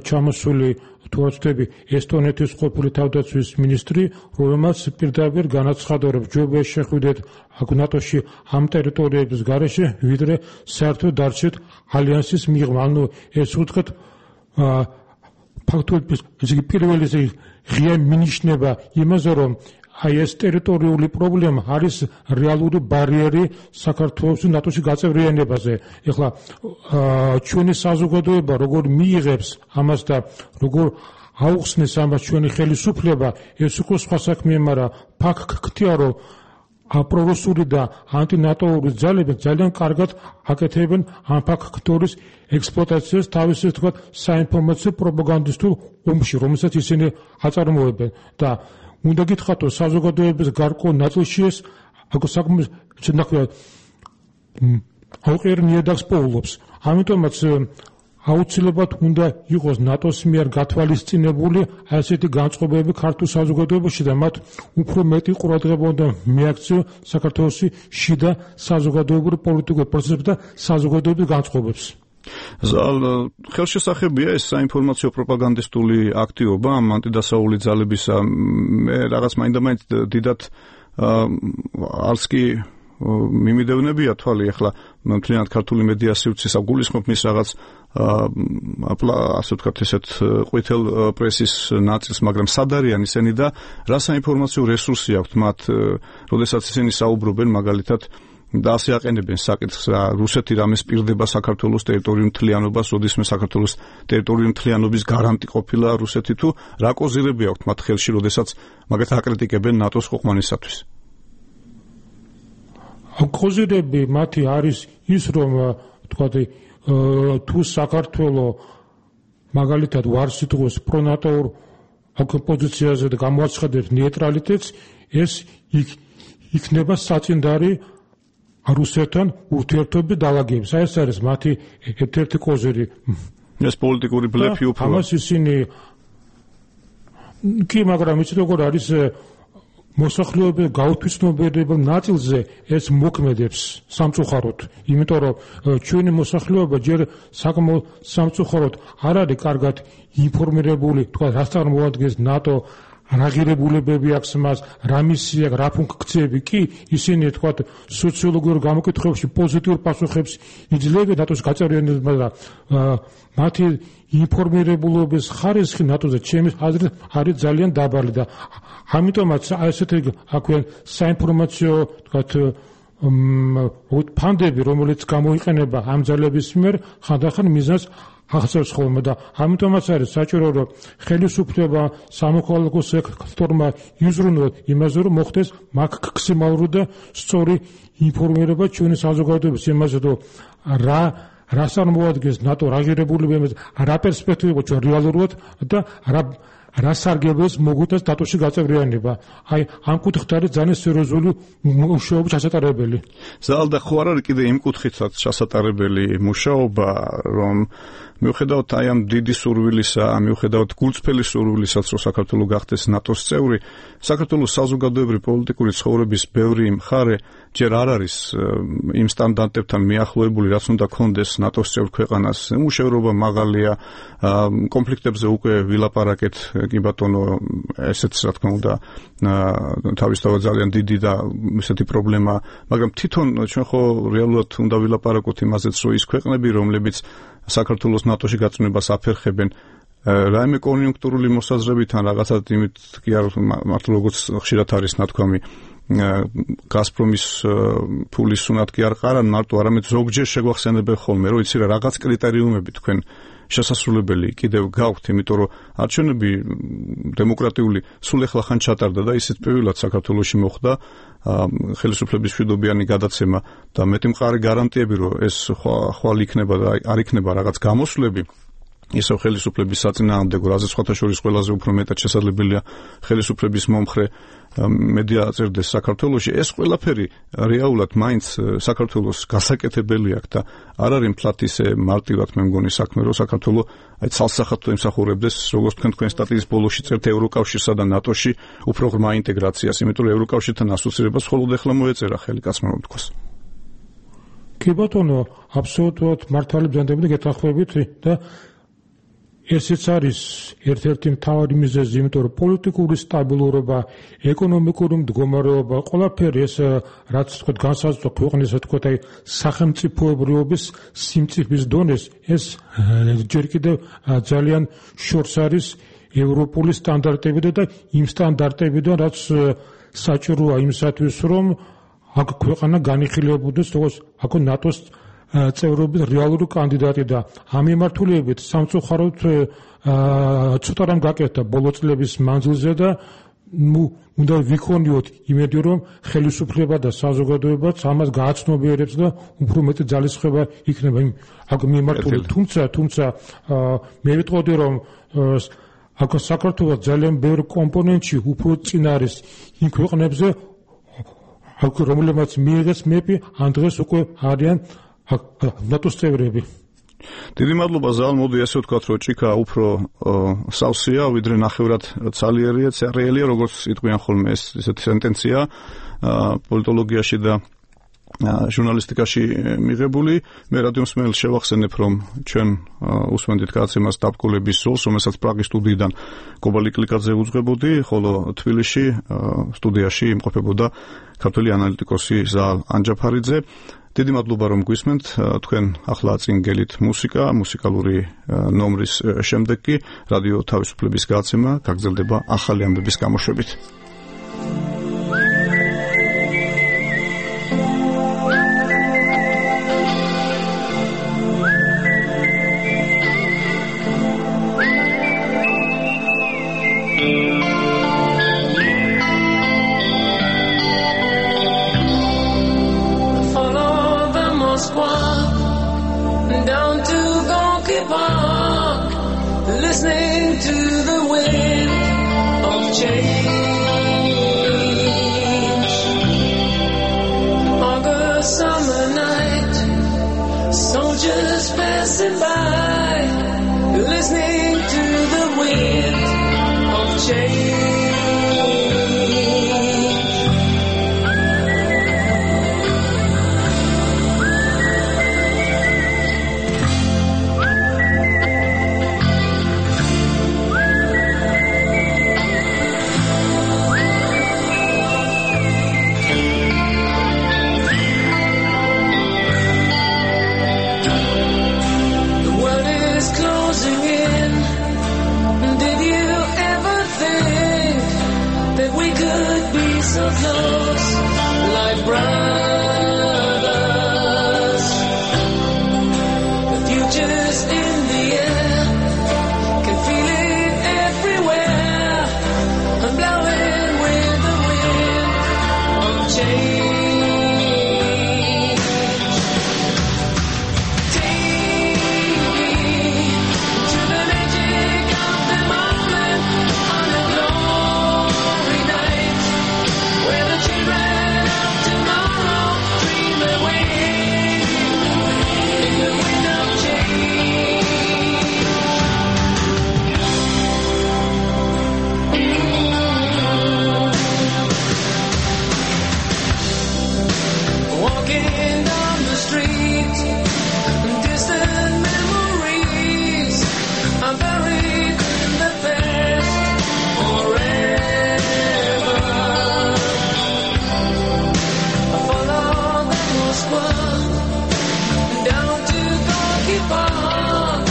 ჩამოსული თუ ვწდები ესტონეთის ყოფილი თავდაცვის მინისტრი, რომელმაც პირდაპირ განაცხადა, რომ ჯობია შეხვიდეთ ნატოში ამ ტერიტორიების გარეშე, ვიდრე საერთოდ დარჩეთ ალიანსის მიღმა. ანუ ეს უთხრეთ ფაქტობრივად პირველი ღია მინიშნება იმაზე, რომ აი ეს ტერიტორიული პრობლემა არის რეალური ბარიერი საქართველოს ნატოში გაწევრიანებაზე. ეხლა ჩვენი საზოგადოება როგორ მიიღებს ამას და როგორ აუხსნეს ამას ჩვენი ხელისუფლება, ეს უკვე სხვა საქმეა, მაგრამ ფაქტია, რომ აპრორუსული და ანტინატოური ძალები ძალიან კარგად აკეთებენ ამ ფაქტორის ექსპლუატაციას თავისი თქვა საინფორმაციო პროპაგანდისტულ ომში, რომელსაც ისინი აწარმოებენ და უნდა გითხრათ, რომ საზოგადოების გარკვეულ ნაწილში ეს საკმაოდ ცნაქვია აუყიერ ნიადაგს პოულობს. ამიტომაც აუცილებლად უნდა იყოს ნატოს მიერ გათვალისწინებული ასეთი განწყობები ქართულ საზოგადოებაში და მათ უფრო მეტი ყურადღება უნდა მიაქციონ საქართველოს შიდა საზოგადოებრივ პოლიტიკურ პროცესებს და საზოგადოებრივ განწყობებს.
ზალ ხელშესახებია ეს საინფორმაციო პროპაგანდისტული აქტივობა ამ ანტიდასაული ძალებისა. მე რაღაც მაინდა-მაინც დიდად არც კი მიმიდევნებია თვალი, ახლა მთლიანად ქართული მედია სივრცის აგულისხმობ მის რაღაც ასე ვთქვათ ესეთ ყვითელ პრესის ნაწილს, მაგრამ სად არიან ისინი და რა საინფორმაციო რესურსი აქვთ მათ, როდესაც ისინი საუბრობენ მაგალითად და ასე აყენებენ საკითხს, რუსეთი რამე სპირდება საქართველოს ტერიტორიულ მთლიანობას, როდესმე საქართველოს ტერიტორიულ მთლიანობის გარანტი ყოფილა რუსეთი, თუ რა კოზირები აქვთ მათ ხელში, როდესაც მაგათ აკრიტიკებენ ნატოს ქვეყნისათვის.
კოზირები მათი არის ის, რომ თქვათ თუ საქართველოს მაგალითად ვარ სიტყვის პრონატოურ პოზიციაზე და გამოაცხადებს ნეიტრალიტეტს, ეს იქნება საწინდარი რუსეთთან ურთიერთობის დალაგების. ეს არის მათი ერთ-ერთი კოზირი.
ეს პოლიტიკური ბლეფი უფრო.
ამას ისინი კი, მაგრამ იცით როგორ არის მოსახლეობის გაუთვისნობიერებელ ნაწილზე ეს მოქმედებს სამწუხაროდ, იმიტომ რომ ჩვენი მოსახლეობა ჯერ საკმაოდ სამწუხაროდ არ არის კარგად ინფორმირებული, თქვა რა წარმოადგენს ნატო, რა ღირებულებები აქვს მას, რა მისია, რა ფუნქციები. კი, ისინი თქვა სოციოლოგიურ გამოკითხვებში პოზიტიურ პასუხებს იძლევენ ნატოს გაწევრიანებაზე და მათი ინფორმირებულობის ხარისხი ნატოზე ჩემი აზრით არის ძალიან დაბალი და ამიტომაც ასეთი აქვენ საინფორმაციო თქვათ ფანდები, რომელიც გამოიყენება ამ ძალების მიერ, ხანდახან მიზანს ახსოვს ხოლმე და ამიტომაც არის საჭირო, რომ ხელისუფლება სამოქალაქო სექტორმა იზრუნოს იმაზე, რომ მოხდეს მაქსიმალური და სწორი ინფორმირება ჩვენი საზოგადოების იმაზე, რომ რა რას წარმოადგენს ნატო, რა ღირებულებები, რა პერსპექტივა ჩვენ რეალურად და რა რა სარგებლობს მოგვიტანს ნატოში გაწევრიანება. აი ამ კუთხით არის ძალიან სერიოზული მუშაობა ჩასატარებელი.
ზალ და ხო არ არის კიდე იმ კუთხითაც ჩასატარებელი მუშაობა, რომ მიუხედავად აი ამ დიდი სურვილისა, მიუხედავად გულწრფელი სურვილისაც, რომ საქართველო გახდეს ნატოს წევრი, საქართველოს საზოგადოებრივი პოლიტიკური ცხოვრების ბევრი მხარე ჯერ არ არის იმ სტანდარტებთან მიახლოებული, რაც უნდა ქონდეს ნატოს წევრ ქვეყანას. მუშაობა მაღალია, კონფლიქტებზე უკვე ვილაპარაკეთ, კი ბატონო, ესეც რა თქმა უნდა თავისთავად ძალიან დიდი და ესეთი პრობლემა, მაგრამ თვითონ ჩვენ ხო რეალურად უნდა ვილაპარაკოთ იმაზეც, რომ ის ქვეყნები, რომლებიც საქართველოს ნატოში გაწმენებას აფერხებენ, რაიმე კონიუნქტურული მოსაზრებიდან რაღაცა იმით კი არ მართლა როგორც ხშირად არის ნათქვამი, გაზპრომის ფულის სუნათ კი არ ყარან მარტო, არამედ ზოგჯერ შეგვახსენებენ ხოლმე, რომ იცი რა რაღაც კრიტერიუმები თქვენ შესასრულებელი კიდევ გაქვთ, იმიტომ რომ არჩევნები დემოკრატიული სულ ეხლა ხან ჩატარდა და ისიც პირველად საქართველოში მოხდა ხელისუფლების მშვიდობიანი გადაცემა და მეტი მყარი გარანტიები, რომ ეს ხვალ იქნება და არ იქნება რაღაც გამოსვლები. ისევ ხელისუფლების საწინააღმდეგო, რაზეც სხვათა შორის ყველაზე უფრო მეტად შესაძლებელია ხელისუფლების მომხრე მედია აწერდეს საქართველოში, ეს ყველაფერი რეალურად მაინც საქართველოს გასაკეთებელი აქვს და არ არის მთლად ისე მარტივად მე მგონი საქმე, რომ საქართველო აი ცალსახად ემსახურებდეს, როგორც თქვენ თქვენ სტატიის ბოლოში წერთ ევროკავშირსა და ნატოში უფრო ღრმა ინტეგრაციას, იმიტომ რომ ევროკავშირთან ასოცირებას მხოლოდ ახლა მოეწერა ხელი კაცმა რომ თქვას.
კი ბატონო, აბსოლუტურად მართალი ბრძანდებით გეთანხმებით და ესეც არის ერთ-ერთი მთავარი მიზეზი, იმიტომ რომ პოლიტიკური სტაბილურობა, ეკონომიკური მდგომარეობა, ყველაფერი ეს რაც თქვა განსაზღვრა ქვეყნის თქვა აი სახელმწიფოებრიობის სიმწიფის დონეს, ეს ჯერ კიდევ ძალიან შორს არის ევროპული სტანდარტებიდან და იმ სტანდარტებიდან, რაც საჭიროა იმისათვის, რომ აქ ქვეყანა განიხილებოდეს როგორც აქ ნატოს წევრობის რეალური კანდიდატი და ამ მიმართულებით სამწუხაროდ ცოტა რამ გაკეთდა ბოლო წლების მანძილზე და ნუ უნდა ვიქონიოთ იმედი რომ ხელისუფლება და საზოგადოებაც ამას გააცნობიერებს და უფრო მეტი ძალისხმევა იქნება იმ აქ მიმართულებით. თუმცა თუმცა მე ვიტყოდი რომ აქ საქართველოს ძალიან ბევრი კომპონენტში უფრო წინ არის იმ ქვეყნებზე აქ რომელმაც მიიღეს მეპი ან დღეს უკვე არიან ნატოს წევრები.
დიდი მადლობა ზალ, მოდი ესე ვთქვათ, რომ ჭიქა უფრო სავსეა, ვიდრე ნახევრად ცალიერია, წერილია, როგორც იტყვიან ხოლმე ეს ესეთი სენტენცია პოლიტოლოგიაში და ჟურნალისტიკაში მიღებული. მე რადიომსმენელს შევახსენებ, რომ ჩვენ უსმენდით გადაცემას დაბკოლების ზოლს, რომელსაც პრაღის სტუდიიდან კობალი კლიკაძე უძღვებოდი, ხოლო თბილისში სტუდიაში იმყოფებოდა ქართველი ანალიტიკოსი ზალ ანჯაფარიძე. დიდი მადლობა რომ გვისმენთ, თქვენ ახლა წინ გელით მუსიკა, მუსიკალური ნომრის შემდეგ კი რადიო თავისუფლების გადაცემა გაგრძელდება ახალი ამბების გამოშვებით.
Listening to the wind of change. August summer night, soldiers passing by, listening to the wind of change. So close, like brothers. The future's in the air, can feel it everywhere. I'm blowing with the wind of change. Take me to the magic of the moment on a glory night. Where the children of tomorrow dream away in the wind of change. Walking down the street, distant memories are buried in the past forever. Down to Gorky Park,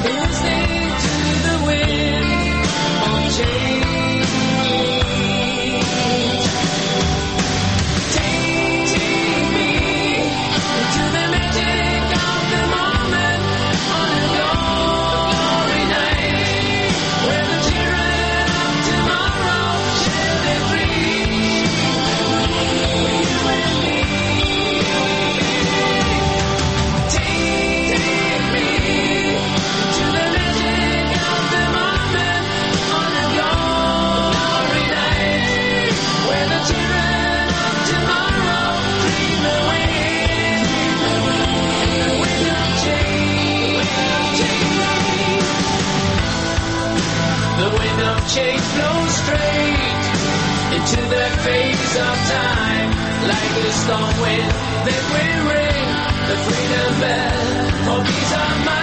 listening to the wind of change. Take me to the magic of the moment on a glory night, where the children of tomorrow share their dreams. You and me. to the face of time. Like a storm wind, then we ring the freedom bell. Oh, peace of mind.